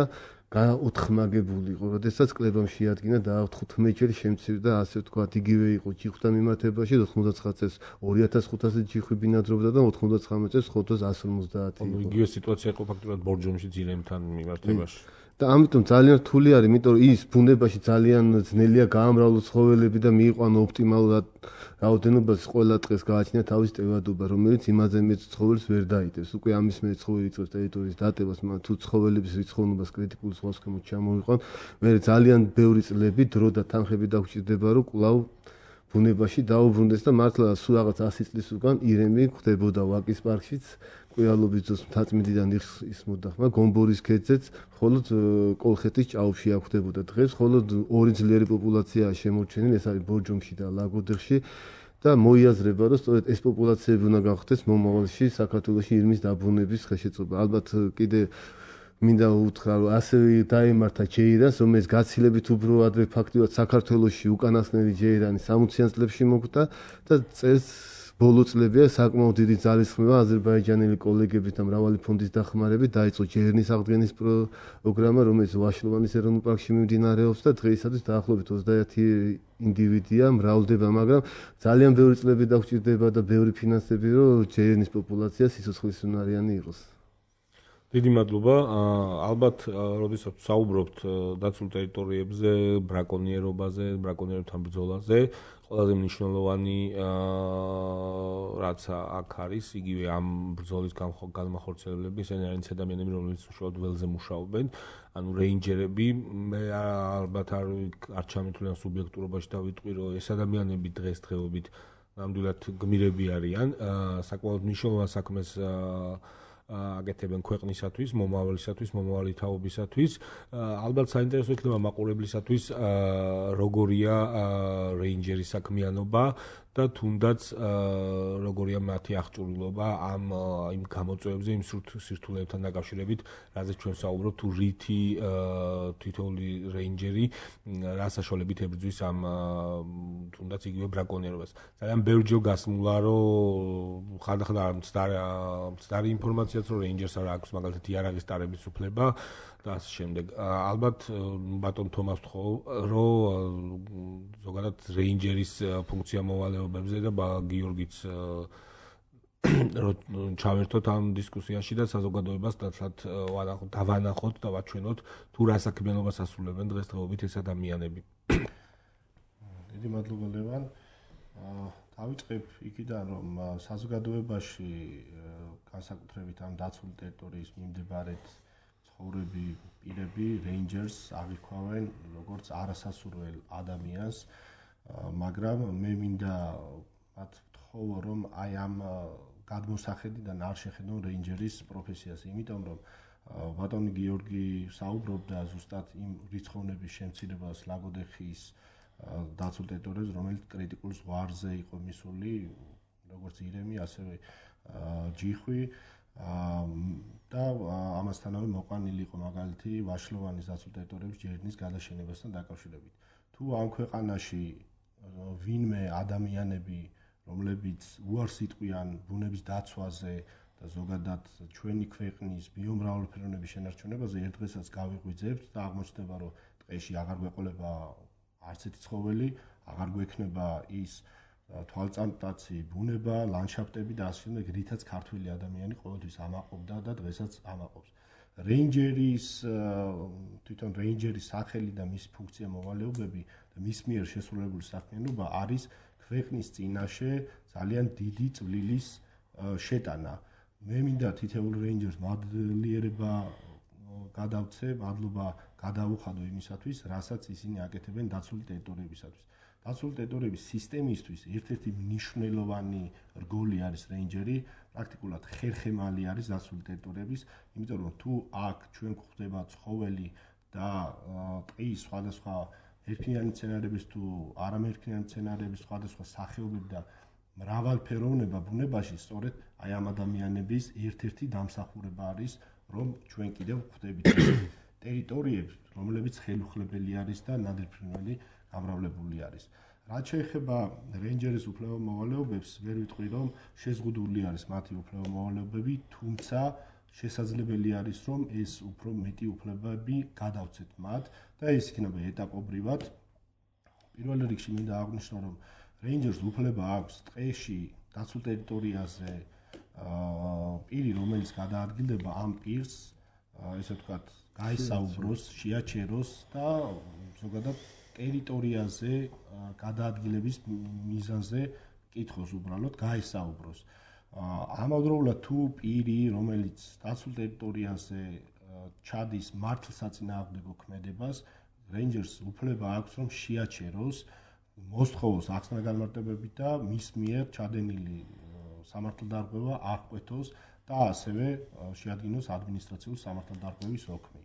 გაოთხმაგებული იყო, როდესაც კლებამ შეადგინა და 15 ჯერ შემცირდა, ასე ვთქვათ, იგივე იყო ჯიხვთა მიმართებაში, 99 წელს 2500 ჯიხვი ბინადრობდა და 99 წელს 150 იყო. იგივე სიტუაცია იყო ფაქტობრივად ბორჯომში ძირემთან მიმართებაში. და ამიტომ ძალიან რთული არის, იმიტომ რომ ის ბუნებაში ძალიან ძნელია გაამრავლოს ცხოველები და მიიყვანო ოპტიმალურად რაოდენობას ყველა დღეს გააჩნია თავის ტევადობა, რომელიც იმაზე მეც ცხოველს ვერ დაიტევს. უკვე ამის მე ცხოველი იწყებს ტერიტორიის დატევას, მაგრამ თუ ცხოველების რიცხოვნობას კრიტიკული სხვადასხვამოდ ჩამოვიყვან, მე ძალიან ბევრი წლები დრო და თანხები დაგვჭირდება, რომ კვლავ ბუნებაში დაუბრუნდეს და მართლა სულ რაღაც 100 წლის უკან ირემი ხდებოდა ვაკის პარკშიც. ყოიალობის დროს მთაწმინდიდან ისმოდა ხმა გომბორის ქედზეც მხოლოდ კოლხეთის ჭაობში აღხდებოდა დღეს მხოლოდ ორი ძლიერი პოპულაციაა შემორჩენილი, ეს არის ბორჯომში და ლაგოდეხში და მოიაზრება, რომ სწორედ ეს პოპულაციები უნდა გავხდეს მომავალში საქართველოში ირმის დაბრუნების ხელშეწყობა. ალბათ კიდე მინდა უთხრა, რომ ასევე დაემართა ჯეირანს, რომელიც გაცილებით უფრო ადრე ფაქტიურად საქართველოში უკანასკნელი ჯეირანი 60-იან წლებში მოკვდა და წელს ბოლო წლებია საკმაოდ დიდი ძალისხმევა აზერბაიჯანელი კოლეგებით და მრავალი ფონდის დახმარებით დაიწყო ჯერნის აღდგენის პროგრამა, რომელიც ვაშლოვანის ეროვნულ პარკში მიმდინარეობს და დღეისათვის დაახლოებით 21 ინდივიდია მრავლდება, მაგრამ ძალიან ბევრი წლები დაგვჭირდება და ბევრი ფინანსები, რომ ჯერნის პოპულაცია სიცოცხლისუნარიანი იყოს. დიდი მადლობა. ალბათ, როდესაც საუბრობთ დაცულ ტერიტორიებზე, ბრაკონიერობაზე, ბრაკონიერებთან ბრძოლაზე, ყველაზე მნიშვნელოვანი რაც აქ არის, იგივე ამ ბრძოლის განმახორციელებლები, ისინი არიან ადამიანები, რომლებიც უშუალოდ ველზე მუშაობენ, ანუ რეინჯერები. მე ალბათ არ ჩამეთვლიან სუბიექტურობაში დავიტყვი, რომ ეს ადამიანები დღესდღეობით ნამდვილად გმირები არიან, საკმაოდ მნიშვნელოვან საქმეს აკეთებენ ქვეყნისათვის, მომავალისათვის, მომავალი თაობისათვის. ალბათ საინტერესო იქნება მაყურებლისათვის, როგორია რეინჯერის საქმიანობა და თუნდაც როგორია მათი აღჭურვილობა იმ გამოწვევებზე, იმ სირთულეებთან დაკავშირებით, რაზეც ჩვენ საუბრობთ, თუ რითი თითოეული რეინჯერი რა საშუალებით ებრძვის ამ თუნდაც იგივე ბრაკონიერობას. ძალიან ბევრჯერ გასმულა, რომ ხანდახან მცდარი ინფორმაციაც, რომ რეინჯერს არ აქვს მაგალითად იარაღის ტარების უფლება და ასე შემდეგ. ალბათ ბატონ თომას ვთხოვ, რომ ზოგადად რეინჯერის ფუნქცია მოვალეობებზე და გიორგიც რომ ჩავერთოთ ამ დისკუსიაში და საზოგადოებას დავანახოთ და ვაჩვენოთ თუ რა საქმიანობას ასრულებენ დღესდღეობით ეს ადამიანები. დიდი მადლობა ლევან. დავიწყებ იქიდან, რომ საზოგადოებაში განსაკუთრებით ამ დაცული ტერიტორიის მიმდებარედ ცხოვრები პირები რეინჯერს აღიქვავენ როგორც არასასურველ ადამიანს, მაგრამ მე მინდა მათ ვთხოვო, რომ აი ამ გადმოსახედიდან არ შეხედონ რეინჯერის პროფესიას, იმიტომ რომ ბატონი გიორგი საუბრობდა ზუსტად იმ რიცხოვნების შემცირებას ლაგოდეხის დაცულ ტერიტორიაზე, რომელიც კრიტიკულ ზღვარზე იყო მისული, როგორც ირემი, ასევე ჯიხვი და ამასთანავე მოყვანილი იყო მაგალითი ვაშლოვანის დაცულ ტერიტორიების ჯერნის გადაშენებასთან დაკავშირებით. თუ ამ ქვეყანაში ვინმე ადამიანები, რომლებიც უარს იტყვიან ბუნების დაცვაზე და ზოგადად ჩვენი ქვეყნის ბიომრავალფეროვნების შენარჩუნებაზე, ერთ დღესაც გავიღვიძებთ და აღმოჩნდება, რომ ტყეში აღარ გვეყოლება არც ერთი ცხოველი, აღარ გვექნება ის თვალწამტაცი ბუნება, ლანდშაფტები და ასე შემდეგ, რითაც ქართველი ადამიანი ყოველთვის ამაყობდა და დღესაც ამაყობს. რეინჯერის თვითონ რეინჯერის სახელი და მისი ფუნქცია მოვალეობები და მის მიერ შესრულებული საქმიანობა არის ქვეყნის წინაშე ძალიან დიდი წვლილის შეტანა. მე მინდა თითოეულ რეინჯერს მადლიერება გადავცე, მადლობა გადავუხადო იმისათვის, რასაც ისინი აკეთებენ დაცული ტერიტორიებისათვის. დაცული ტერიტორიების სისტემისთვის ერთ-ერთი მნიშვნელოვანი რგოლი არის რეინჯერი, პრაქტიკულად ხერხემალი არის დაცული ტერიტორიების, იმიტომ რომ თუ აქ ჩვენ გვხვდება ცხოველი და ტყის სხვადასხვა ერთიანი მცენარეების თუ არამერთიანი მცენარეების სხვადასხვა სახეობები და მრავალფეროვნება ბუნებაში, სწორედ აი ამ ადამიანების ერთ-ერთი დამსახურება არის, რომ ჩვენ კიდევ გვხვდებით ტერიტორიებს, რომლებიც ხელუხლებელი არის და ნადირფრინველი გამრავლებული არის. რაც შეეხება რეინჯერის უფლებამოვალეობებს, ვერ ვიტყვი, რომ შეზღუდული არის მათი უფლებამოვალეობები, თუმცა შესაძლებელი არის, რომ ეს უფრო მეტი უფლებები გადავცეთ მათ და ეს იქნება ეტაპობრივად. პირველ რიგში მინდა აღვნიშნო, რომ რეინჯერს უფლება აქვს ტყეში დაცულ ტერიტორიაზე პირი, რომელიც გადაადგილდება ამ პირს, ესე ვთქვათ, გაესაუბროს, შეაჩეროს და ზოგადად ტერიტორიაზე გადაადგილების მიზანზე კითხოს უბრალოდ გაესაუბროს. ამავდროულად თუ პირი, რომელიც დაცულ ტერიტორიაზე ჩადის მართლსაწინააღმდეგო ქმედებას, რეინჯერს უფლება აქვს, რომ შეაჩეროს, მოსთხოვოს ახსნა-განმარტებები და მის მიერ ჩადენილი სამართალდარღვევა აღკვეთოს და ასევე შეადგინოს ადმინისტრაციული სამართალდარღვევის ოქმი.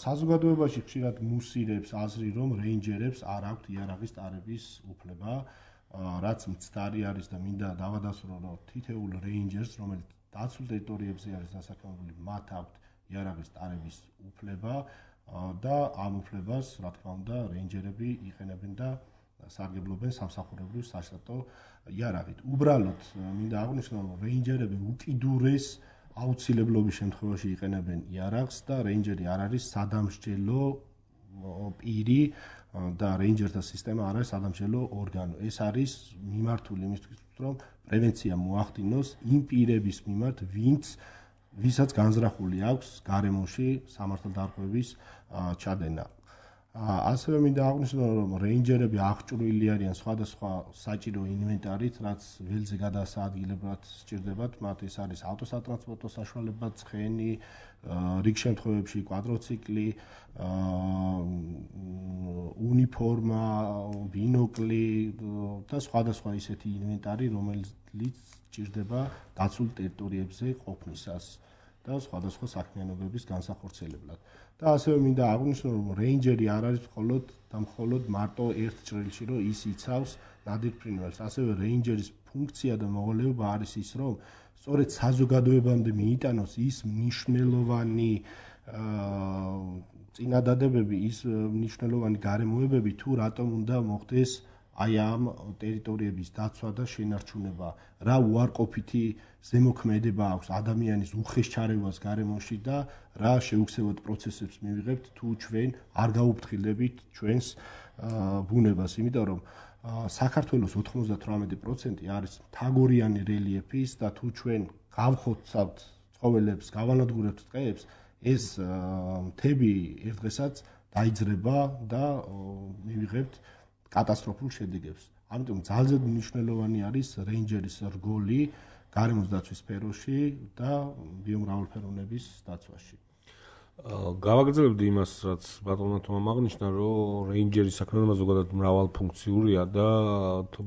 საზოგადოებაში ხშირად მუსირებს აზრი, რომ რეინჯერებს არ აქვთ იარაღის ტარების უფლება, რაც მცდარი არის და მინდა დავადასტურო, რომ თითოეულ რეინჯერს, რომელიც დაცულ ტერიტორიებზე არის დასაქმებული, მათ აქვთ იარაღის ტარების უფლება და ამ უფლებას, რა თქმა უნდა, რეინჯერები იყენებენ და სარგებლობენ სამსახურებრივ საშტატო იარაღით. უბრალოდ მინდა აღვნიშნო, რომ რეინჯერები უკიდურეს აუცილებლობის შემთხვევაში იყენებენ იარაღს და რეინჯერი არ არის სადამსჯელო პირი და რეინჯერთა სისტემა არ არის სადამსჯელო ორგანო. ეს არის მიმართული იმისთვის, რომ პრევენცია მოახდინოს იმ პირების მიმართ, ვისაც განზრახული აქვს გარემოში სამართალდარღვევის ჩადენა. ასევე მინდა აღვნიშნო, რომ რეინჯერები აღჭურვილი არიან სხვადასხვა საჭირო ინვენტარით, რაც ველზე გადასაადგილებლად სჭირდებათ. მათ ეს არის ავტოსატრანსპორტო საშუალება, ცხენი, რიგ შემთხვევებში კვადროციკლი, უნიფორმა, ბინოკლი და სხვადასხვა ისეთი ინვენტარი, რომელიც სჭირდება დაცულ ტერიტორიებზე ყოფნისას და სხვადასხვა საქმიანობების განსახორციელებლად. და ასევე მინდა აღვნიშნო, რომ რეინჯერი არ არის მხოლოდ მარტო ერთ ჭრილში, რომ ის იცავს ნადირფრინველს. ასევე რეინჯერის ფუნქცია და მოვალეობა არის ის, რომ სწორედ საზოგადოებამდე მიიტანოს ის მნიშვნელოვანი წინადადებები, ის მნიშვნელოვანი გარემოებები, თუ რატომ უნდა მოხდეს აი ამ ტერიტორიების დაცვა და შენარჩუნება, რა უარყოფითი ზემოქმედება აქვს ადამიანის უხეშ ჩარევას გარემოში და რა შეუქცევად პროცესებს მივიღებთ, თუ ჩვენ არ გაუფრთხილდებით ჩვენს ბუნებას, იმიტომ რომ საქართველოს 98% არის მთაგორიანი რელიეფის და თუ ჩვენ გავხოცავთ ცხოველებს, გავანადგურებთ ტყეებს, ეს მთები ერთ დღესაც დაიძრება და მივიღებთ კატასტროფულ შედეგებს. ამიტომ ძალზედ მნიშვნელოვანი არის რეინჯერის რგოლი გარემოს დაცვის სფეროში და ბიომრავალფეროვნების დაცვაში. გავაგრძელებდი იმას, რაც ბატონმა თომამ აღნიშნა, რომ რეინჯერის საქმიანობა ზოგადად მრავალფუნქციურია და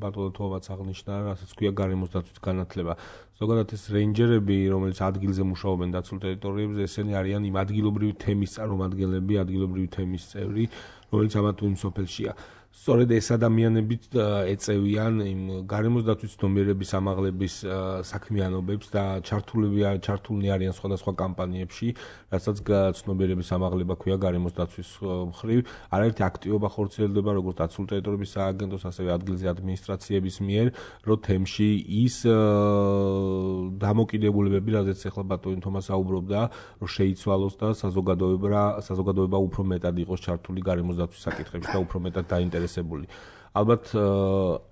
ბატონმა თომამაც აღნიშნა, რასაც ქვია გარემოს დაცვის განათლება. ზოგადად ეს რეინჯერები, რომელიც ადგილზე მუშაობენ დაცულ ტერიტორიებზე, ესენი არიან იმ ადგილობრივი თემის წარმომადგენლები, ადგილობრივი თემის წევრი, რომელიც ამა თუ იმ სოფელშია. სწორედ ეს ადამიანები ეწევიან იმ გარემოს დაცვის ცნობიერების ამაღლების საქმიანობებს და ჩართულნი არიან სხვადასხვა კამპანიებში, რასაც ცნობიერების ამაღლება ქვია გარემოს დაცვის მხრივ. არაერთი აქტივობა ხორციელდება როგორც დაცულ ტერიტორიების სააგენტოს, ასევე ადგილზე ადმინისტრაციების მიერ, რომ თემში ის დამოკიდებულებები, რაზეც ახლა ბატონი თომა საუბრობდა, რომ შეიცვალოს და საზოგადოება უფრო მეტად იყოს ჩართული გარემოს დაცვის საკითხებში და უფრო მეტად დაინტერესებული. ალბათ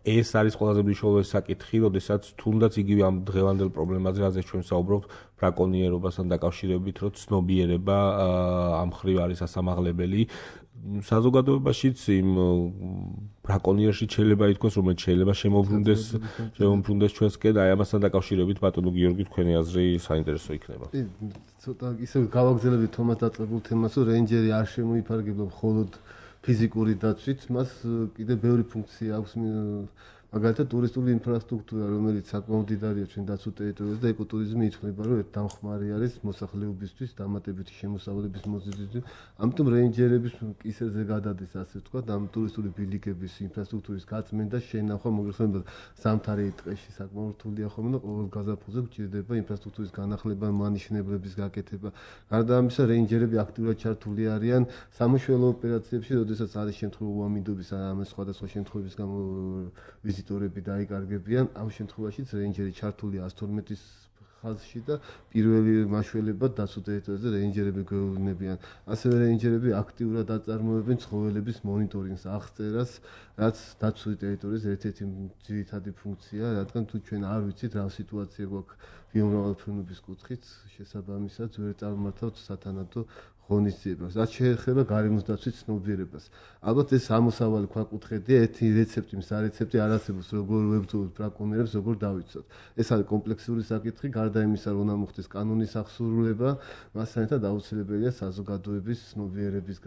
ეს არის ყველაზე მნიშვნელოვანი საკითხი, როდესაც თუნდაც იგივე ამ დღევანდელ პრობლემაზე, რაზეც ჩვენ საუბრობთ, ბრაკონიერობასთან დაკავშირებით, რომ ცნობიერება ამ მხრივ არის ასამაღლებელი. საზოგადოებაშიც იმ ბრაკონიერში შეიძლება ითქვას, რომელიც შეიძლება შემოbrunდეს ჩვენსკენ, აი ამასთან დაკავშირებით ბატონო გიორგი თქვენი აზრი საინტერესო იქნება. ცოტა ისე გავაგზავნებით თომას დაწყებულ თემას, რომ რეინჯერი არ შემოიფარგებლა მხოლოდ ფიზიკური დაცვით, მას კიდევ ბევრი ფუნქცია აქვს, მაგალითად ტურისტული ინფრასტრუქტურა, რომელიც საკმაოდ დიდარია ჩვენ დაცულ ტერიტორიაზე და ეკოტურიზმი ითვლება, რომ დამხმარე არის მოსახლეობისთვის, დამატებითი შემოსავლების მოზიდვისთვის. ამიტომ რეინჯერების კისერზე გადადის, ასე ვთქვათ, ამ ტურისტული ბილიკების ინფრასტრუქტურის გაწმენდა, შენახვა, მოგეხსენებათ, ზამთარი ტყეში საკმაოდ რთულია ხოლმე და ყოველ გაზაფხულზე გვჭირდება ინფრასტრუქტურის განახლება, მანიშნებლების გაკეთება. გარდა ამისა, რეინჯერები აქტიურად ჩართული არიან სამუშაო ოპერაციებში, როდესაც არის შემთხვევა უამინდობის ან სხვადასხვა შემთხვევების გამო ვიზიტორები დაიკარგებიან. ამ შემთხვევაშიც რეინჯერი ჩართულია 112-ის ხაზში და პირველი მაშველებად დაცულ ტერიტორიაზე რეინჯერები გვეუბნებიან. ასევე რეინჯერები აქტიურად აწარმოებენ ცხოველების მონიტორინგს, აღწერას, რაც დაცული ტერიტორიის ერთ-ერთი ძირითადი ფუნქციაა, რადგან თუ ჩვენ არ ვიცით რა სიტუაცია გვაქვს ბიომრავალფეროვნების კუთხით, შესაბამისად ვერ წარმართავთ სათანადო ღონისძიებას. რაც შეეხება გარემოს დაცვის ცნობიერებას. ალბათ ეს ამოსავალი ქვაკუთხედია, ერთი რეცეპტი, მსარეცეპტი არ არსებობს, როგორ ვებრძოლოთ ბრაკონიერებს, როგორ დავიცვათ. ეს არის კომპლექსური საკითხი, გარდა იმისა, რომ უნდა მოხდეს კანონის აღსრულება, მასთან ერთად აუცილებელია საზოგადოების ცნობიერების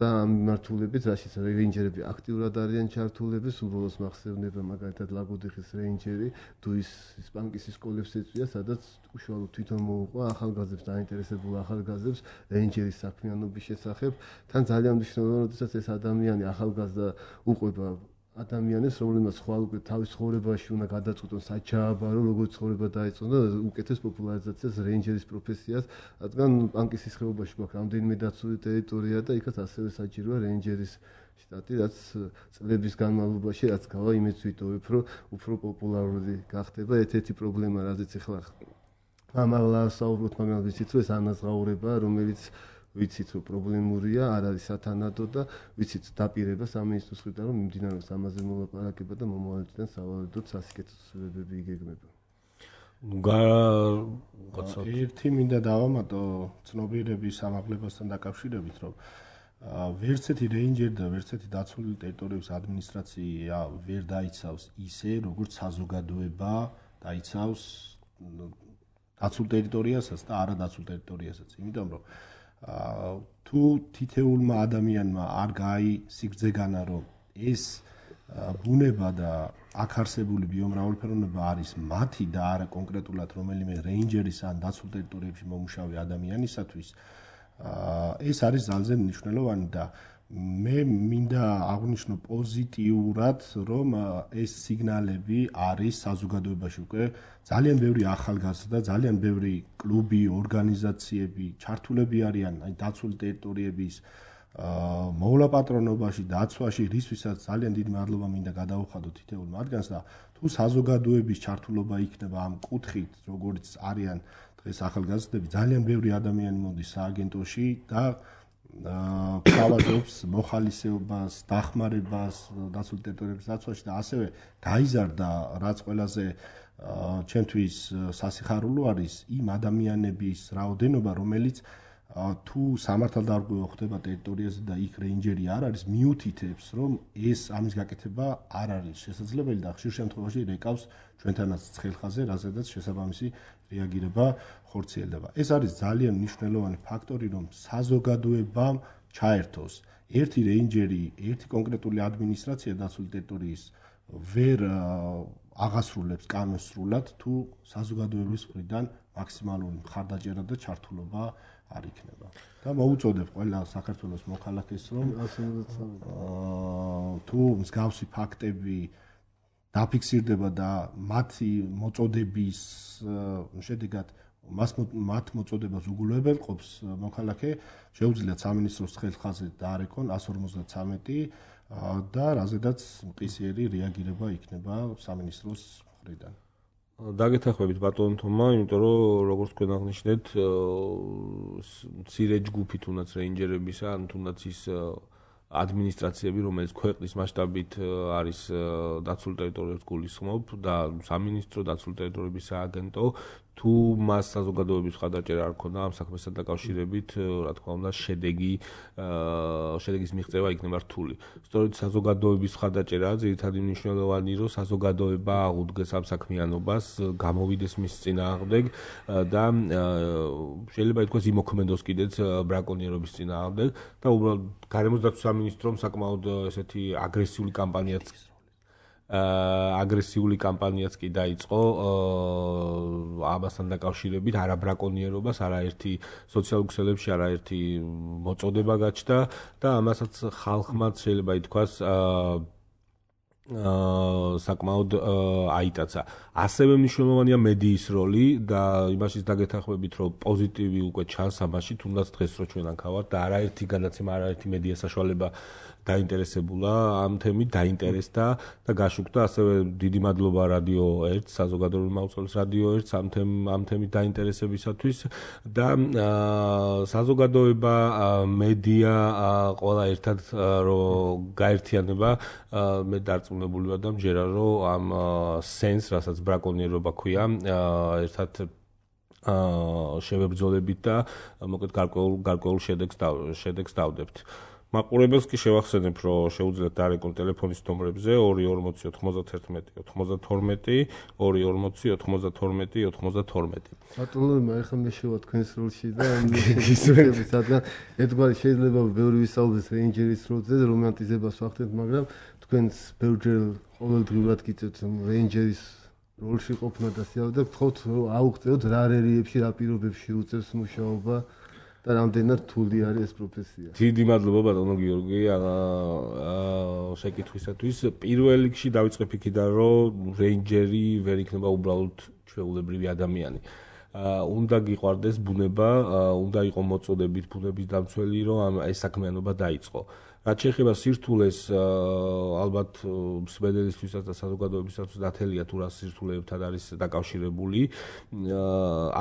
და ამ მიმართულებით, რაშიც რეინჯერები აქტიურად არიან ჩართულები, უბრალოდ მახსოვდება მაგალითად ლაგოდიხის რეინჯერი, დუის სპანკისის სკოლებს ეწვია, სადაც უშუალოდ თვითონ მოუყვა ახალგაზრდებს, დაინტერესებულ ახალგაზრდებს რეინჯერის საქმიანობის შესახებ. თან ძალიან მნიშვნელოვანია, როდესაც ეს ადამიანი ახალგაზრდა უყვება ადამიანებს, რომლებმაც ხვალ უკვე თავის ცხოვრებაში უნდა გადაწყვიტონ საჩააბარო, როგორ ცხოვრება დაიწყონ და უკეთეს პოპულარიზაციას რეინჯერის პროფესიას, რადგან პანკისის ხეობაში გვაქვს რამდენიმე დაცული ტერიტორია და იქაც ასევე საჭიროა რეინჯერის შტატი, რაც წლების განმავლობაში რაც გავა იმედს ვიტოვებ, რომ უფრო პოპულარული გახდება. ერთ-ერთი პრობლემა, რაზეც ახლა ამალა საუბრობთ, მაგრამ ვიცით, რომ ეს ანაზღაურება, რომელიც ვიცით, რომ პრობლემურია, არ არის სათანადო და ვიცით დაპირება სამინისტროს მხრიდან, რომ მიმდინარეობს ამაზე მოლაპარაკება და მომავალ წლიდან სავალიდოდ სასიკეთო ცვლილებები იგეგმება. ერთი მინდა დავამატო ცნობიერების ამაღლებასთან დაკავშირებით, რომ ვერც ერთი რეინჯერი და ვერც ერთი დაცული ტერიტორიების ადმინისტრაცია ვერ დაიცავს ისე, როგორც საზოგადოება დაიცავს დაცულ ტერიტორიასაც და არადაცულ ტერიტორიასაც. იმიტომ რომ თუ თითეულმა ადამიანმა არ გააისიგრძეგანა, რომ ეს ბუნება და აქ არსებული ბიომრავალფეროვნება არის მათი და არა კონკრეტულად რომელიმე რეინჯერის ან დაცულ ტერიტორიებში მომუშავე ადამიანისათვის, ეს არის ძალზე მნიშვნელოვანი და მე მინდა აღვნიშნო პოზიტიურად, რომ ეს სიგნალები არის საზოგადოებაში უკვე ძალიან ბევრი ახალგაზრდა, ძალიან ბევრი კლუბი, ორგანიზაციები ჩართულები არიან აი დაცული ტერიტორიების მოვლაპატრონობაში, დაცვაში, რისთვისაც ძალიან დიდი მადლობა მინდა გადაუხადო თითოეულ მათგანს და თუ საზოგადოების ჩართულობა იქნება ამ კუთხით, როგორც არიან დღეს ახალგაზრდები, ძალიან ბევრი ადამიანი მოდის სააგენტოში და თავადობს მოხალისეობას, დახმარებას დაცული ტერიტორიების დაცვაში და ასევე გაიზარდა, რაც ყველაზე ჩვენთვის სასიხარულო არის იმ ადამიანების რაოდენობა, რომელიც თუ სამართალდამცავი ხდება ტერიტორიაზე და იქ რეინჯერი არ არის, მიუთითებს, რომ ეს ამის გაკეთება არ არის შესაძლებელი და ხშირ შემთხვევაში რეკავს ჩვენთანაც ცხელხაზე, რაზედაც შესაბამისი რეაგირება ხორციელდება. ეს არის ძალიან მნიშვნელოვანი ფაქტორი, რომ საზოგადოებამ ჩაერთოს. ერთი რეინჯერი, ერთი კონკრეტული ადმინისტრაცია დაცული ტერიტორიის ვერ აღასრულებს კანონს სრულად, თუ საზოგადოების მხრიდან მაქსიმალური მხარდაჭერა და ჩართულობა არ იქნება. და მოუწოდებ ყველა საქართველოს მოქალაქეს, რომ თუ მსგავსი ფაქტები დაფიქსირდება და მათი მოწოდების შედეგად მათ მოწოდებას უგულებელყოფს მოქალაქე, შეუძლიათ სამინისტროს ხელხაზე დაარეკონ 153 და რაზედაც მყისიერი რეაგირება იქნება სამინისტროს მხრიდან. დაგეთანხმებით ბატონ თომა, იმიტომ რომ როგორც თქვენ აღნიშნეთ, მცირე ჯგუფი თუნდაც რეინჯერებისა, ან თუნდაც ის ადმინისტრაციები, რომელიც ქვეყნის მასშტაბით არის დაცულ ტერიტორიებს გულისხმობ და სამინისტრო, დაცულ ტერიტორიების სააგენტო, თუ მას საზოგადოების ხადაჭერა არ ქონდა ამ საქმესთან დაკავშირებით, რა თქმა უნდა, შედეგის მიღწევა იქნება რთული. სწორედ საზოგადოების ხადაჭერა ძირითადი მნიშვნელოვანი, რომ საზოგადოება აღუდგეს ამ საქმიანობას, გამოვიდეს მის წინააღმდეგ და შეიძლება ითქვას იმოქმედოს კიდეც ბრაკონიერობის წინააღმდეგ და უბრალოდ გარემოს დაცვის სამინისტრომ საკმაოდ ესეთი აგრესიული კამპანიაც კი დაიწყო ამასთან დაკავშირებით, არა ბრაკონიერობას, არაერთი სოციალურ ქსელებში არაერთი მოწოდება გაჩნდა და ამასაც ხალხმაც შეიძლება ითქვას საკმაოდ აიტაცა. ასევე მნიშვნელოვანია მედიის როლი და იმაშიც დაგეთანხმებით, რომ პოზიტივი უკვე ჩანს ამაში, თუნდაც დღეს რო ჩვენ აქ ვართ და არაერთი განაცემა, არაერთი მედია საშუალება დაინტერესებულა ამ თემით, დაინტერესდა და გაშუქდა. ასევე დიდი მადლობა რადიო 1, საზოგადოებრივი მაუწყებლის რადიო 1 ამ თემით დაინტერესებისათვის და საზოგადოება, მედია ყველა ერთად რომ გაერთიანება, მე დარწმუნებული ვარ და მჯერა რომ ამ სენს, რასაც ბრაკონიერობა ქვია, ერთად შევებრძოლებით და მოკლედ გარკვეულ შედეგს დავდებთ. მაყურებელს კი შევახსენებ, რომ შეუძლიათ დარეკონ ტელეფონის ნომრებზე 240 92 240 ბატონო, ახლა მე შევა თქვენს როლში და ისურები სადგან ერთგვარი შეიძლება ბევრი ვისაუბრდეს რეინჯერის როლზე, რომანტიზებას ვახდენთ, მაგრამ თქვენს ბევრჯერ ყოველდღიურად გიწევთ რეინჯერის როლში ყოფნა და სიავდა გთხოვთ აუღწევთ რა რელიეფში, რა პირობებში უწევს მუშაობა და რამდენად რთული არის ეს პროფესია. დიდი მადლობა ბატონო გიორგი შეკითხვისათვის. პირველ რიგში დავიწყებ იქიდან, რომ რეინჯერი ვერ იქნება უბრალოდ ჩვეულებრივი ადამიანი. უნდა გიყვარდეს ბუნება, უნდა იყო მოწოდებით ბუნების დამცველი, რომ ეს საქმიანობა დაიწყო. რაც შეეხება სირთულეს, ალბათ მსმენელისთვისაც და საზოგადოებისათვის დათელია თუ რა სირთულეებთან არის დაკავშირებული.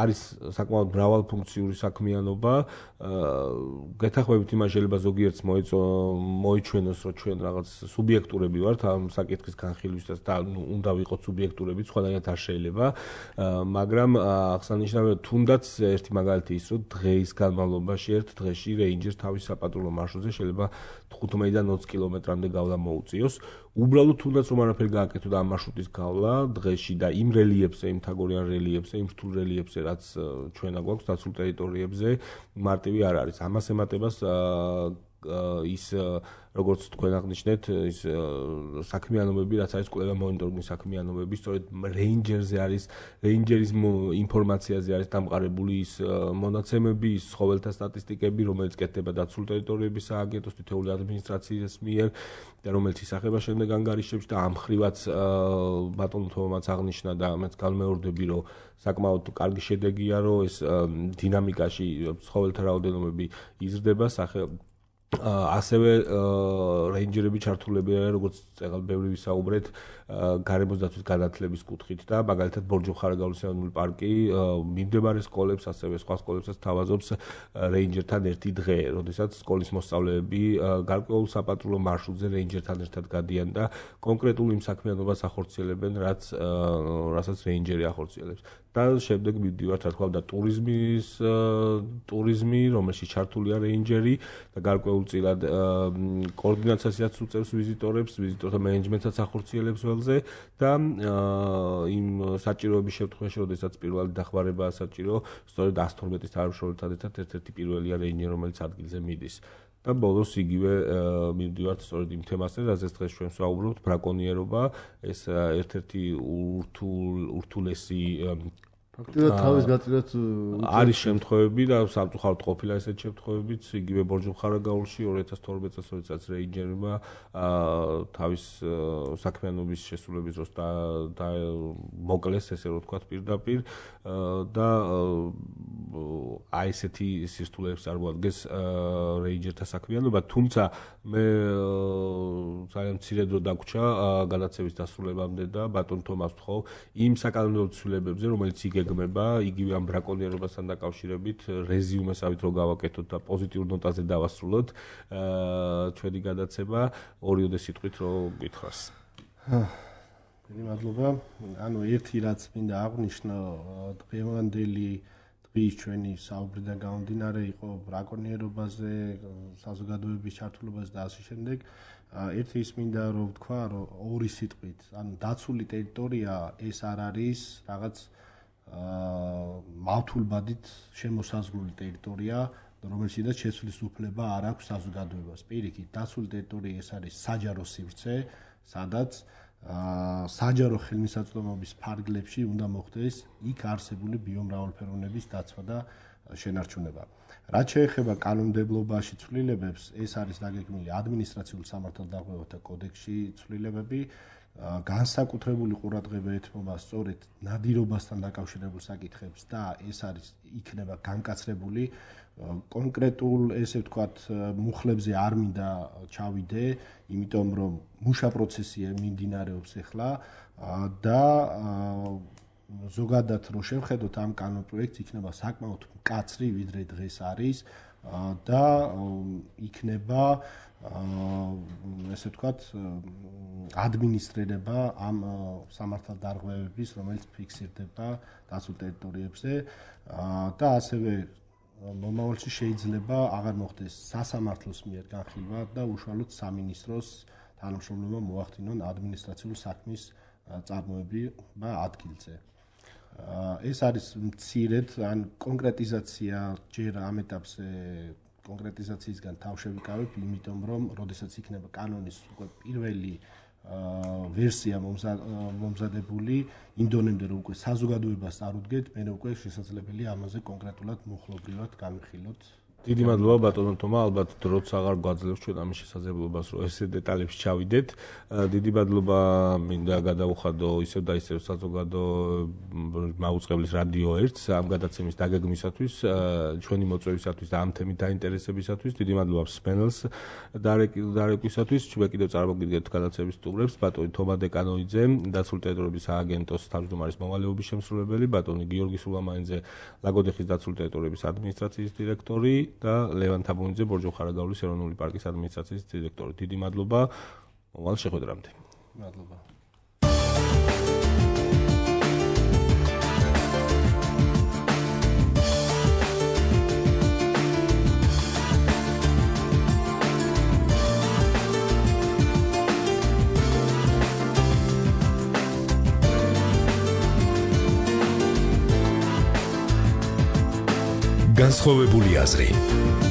არის საკმაოდ მრავალფუნქციური საქმიანობა. გეთანხმებით იმას შეიძლება ზოგიერთს მოიჩვენოს, რომ ჩვენ რაღაც სუბიექტურები ვართ ამ საკითხის განხილვისას და უნდა ვიყოთ სუბიექტურები, სხვანაირად არ შეიძლება. მაგრამ აღსანიშნავია თუნდაც ერთი მაგალითი ის, რომ დღეის განმავლობაში ერთ დღეში რეინჯერს თავის საპატრულო მარშრუტზე შეიძლება 15-დან 20 კილომეტრამდე გავლა მოუწიოს. უბრალოდ თუნდაც რომ არაფერი გააკეთო და ამ მარშრუტის გავლა დღეში და იმ რელიეფზე, იმ თაგორიან რელიეფზე, იმ რთულ რელიეფზე, რაც ჩვენა გვაქვს დაცულ ტერიტორიებზე, მარტივი არ არის. ამას ემატებას ის როგორც თქვენ აღნიშნეთ, ის საქმიანობები, რაც არის კვლევა მონიტორინგის საქმიანობები, სწორედ რეინჯერზე არის, რეინჯერის ინფორმაციაზე არის დამყარებული ის მონაცემები, ის ცხოველთა სტატისტიკები, რომელიც კეთდება დაცულ ტერიტორიების სააგენტოს თითოეული ადმინისტრაციის მიერ და რომელიც ისახება შემდეგ ანგარიშებში და ამ ხრივაც ბატონო თომაც აღნიშნა და მეც განმეორდები, რომ საკმაოდ კარგი შედეგია, რომ ეს დინამიკაში ცხოველთა რაოდენობები იზრდება ასევე რეინჯერები ჩართულები არიან, როგორც წეგალ ბევრი ვისაუბრეთ, გარემოს დაცვის განათლების კუთხით და მაგალითად ბორჯომხარაგაულის ეროვნული პარკი მიმდებარე სკოლებს, ასევე სხვა სკოლებსაც თავაზობს რეინჯერთან ერთი დღე, როდესაც სკოლის მოსწავლეები გარკვეულ საპატრულო მარშრუტზე რეინჯერთან ერთად გადიან და კონკრეტულ იმ საქმიანობას ახორციელებენ, რასაც რეინჯერი ახორციელებს. და შემდეგ მივდივართ, რა თქმა უნდა, ტურიზმი, რომელშიც ჩართულია რეინჯერი და გარკვეულწილად კოორდინაციასაც უწევს ვიზიტორებს, ვიზიტორთა მენეჯმენტსაც ახორციელებს ველზე და იმ საჭიროების შემთხვევაში, როდესაც პირველი დახმარებაა საჭირო, სწორედ 112-ის თანამშრომელთან ერთად ერთ-ერთი პირველია რეინჯერი, რომელიც ადგილზე მიდის. და ბოლოს იგივე მივდივართ სწორედ იმ თემასზე, რაზეც დღეს ჩვენ ვსაუბრობთ, ბრაკონიერობა, ეს ერთ-ერთი ურთულესი ფაქტობრივად თავის გაწირვაც არის შემთხვევები და სამწუხაროდ ყოფილა ესეთ შემთხვევებიც, იგივე ბორჯომხარაგაულში 2012 წელს, როდესაც რეინჯერმა თავის საქმიანობის შესრულების დროს და მოკლეს, ესე რომ ვთქვათ, პირდაპირ და აი ესეთი სირთულეებს წარმოადგენს რეინჯერთა საქმიანობა, თუმცა მე ძალიან მცირე დრო დაგვრჩა განათლების დასრულებამდე და ბატონ თომას ვთხოვ იმ საკანონმდებლო ცვლილებებზე, რომელიც იგეგმება, იგივე ამ ბრაკონიერებასთან დაკავშირებით რეზიუმესავით რო გავაკეთოთ და პოზიტიურ ნოტაზე დავასრულოთ ჩვენი გადაცემა, ორიოდე სიტყვით რო გითხრას. დიდი მადლობა. ანუ ერთი რაც მინდა აღვნიშნო, დღევანდელი დღის ჩვენი საუბრიდან გამომდინარე იყო ბრაკონიერობაზე, საზოგადოების ჩართულობაზე და ასე შემდეგ. ერთი ის მინდა რომ ვთქვა, რომ ორი სიტყვით, ანუ დაცული ტერიტორია ეს არ არის რაღაც მავთულბადით შემოსაზღვრული ტერიტორია, რომელშიც შეცვლის უფლება არ აქვს საზოგადოებას. პირიქით, დაცული ტერიტორია ეს არის საჯარო სივრცე, სადაც საჯარო ხელმისაწვდომობის ფარგლებში უნდა მოხდეს იქ არსებული ბიომრავალფეროვნების დაცვა და შენარჩუნება. რაც შეეხება კანონმდებლობაში ცვლილებებს, ეს არის დაგეგმილი ადმინისტრაციულ სამართალდაღმავთა კოდექსში ცვლილებები, განსაკუთრებული ყურადღება ეთმობა სწორედ ნადირობასთან დაკავშირებულ საკითხებს და ეს არის იქნება განკაცრებული კონკრეტულ ესე ვთქვათ მუხლებზე არ მინდა ჩავიდე, იმიტომ რომ მუშა პროცესია მიმდინარეობს ახლა და ზოგადად რო შევხედოთ ამ კანონპროექტს იქნება საკმაოდ მკაცრი ვიდრე დღეს არის და იქნება ესე ვთქვათ ადმინისტრირება ამ სამართალდარღვევების, რომელიც ფიქსირდება დაცულ ტერიტორიებზე და ასევე მომავალში შეიძლება აღარ მოხდეს სასამართლოს მიერ განხილვა და უშუალოდ სამინისტროს თანამშრომლობა მოახდინონ ადმინისტრაციული საქმის წარმოება ადგილზე. ეს არის მცირედ ან კონკრეტიზაცია ჯერ ამ ეტაპზე კონკრეტიზაციისგან თავშევიკავებ, იმიტომ რომ როდესაც იქნება კანონის უკვე პირველი ვერსია მომზადებული, იმდენამდე რომ უკვე საზოგადოებას წარუდგეთ, მე უკვე შესაძლებელია ამაზე კონკრეტულად მუხლობრივად განვიხილოთ. დიდი მადლობა ბატონო თომა, ალბათ დროც აღარ გვაძლევს ჩვენ ამის შესაძლებლობას, რომ ესე დეტალებში ჩავიდეთ. დიდი მადლობა მინდა გადავუხადო ისევ და ისევ საზოგადო მაუწყებლის რადიო 1-ს ამ გადაცემის დაგეგმისათვის, ჩვენი მოწვევისათვის და ამ თემით დაინტერესებისათვის. დიდი მადლობა მსმენელს დარეკვისათვის. ჩვენ კიდევ წარმოგიდგენთ გადაცემის სტუმრებს, ბატონი თომა დეკანოიძე, დაცული ტერიტორიების სააგენტოს თავმჯდომარის მოვალეობის შემსრულებელი, ბატონი გიორგი სულამაინძე, ლაგოდეხის დაცული ტერიტორიების ადმინისტრაციის დირექტორი და ლევან თაბუნიძე, ბორჯო-ხარაგაულის ეროვნული პარკის ადმინისტრაციის დირექტორი. დიდი მადლობა. მოვალ შეხვედრამდე. მადლობა. განსხვავებული აზრი.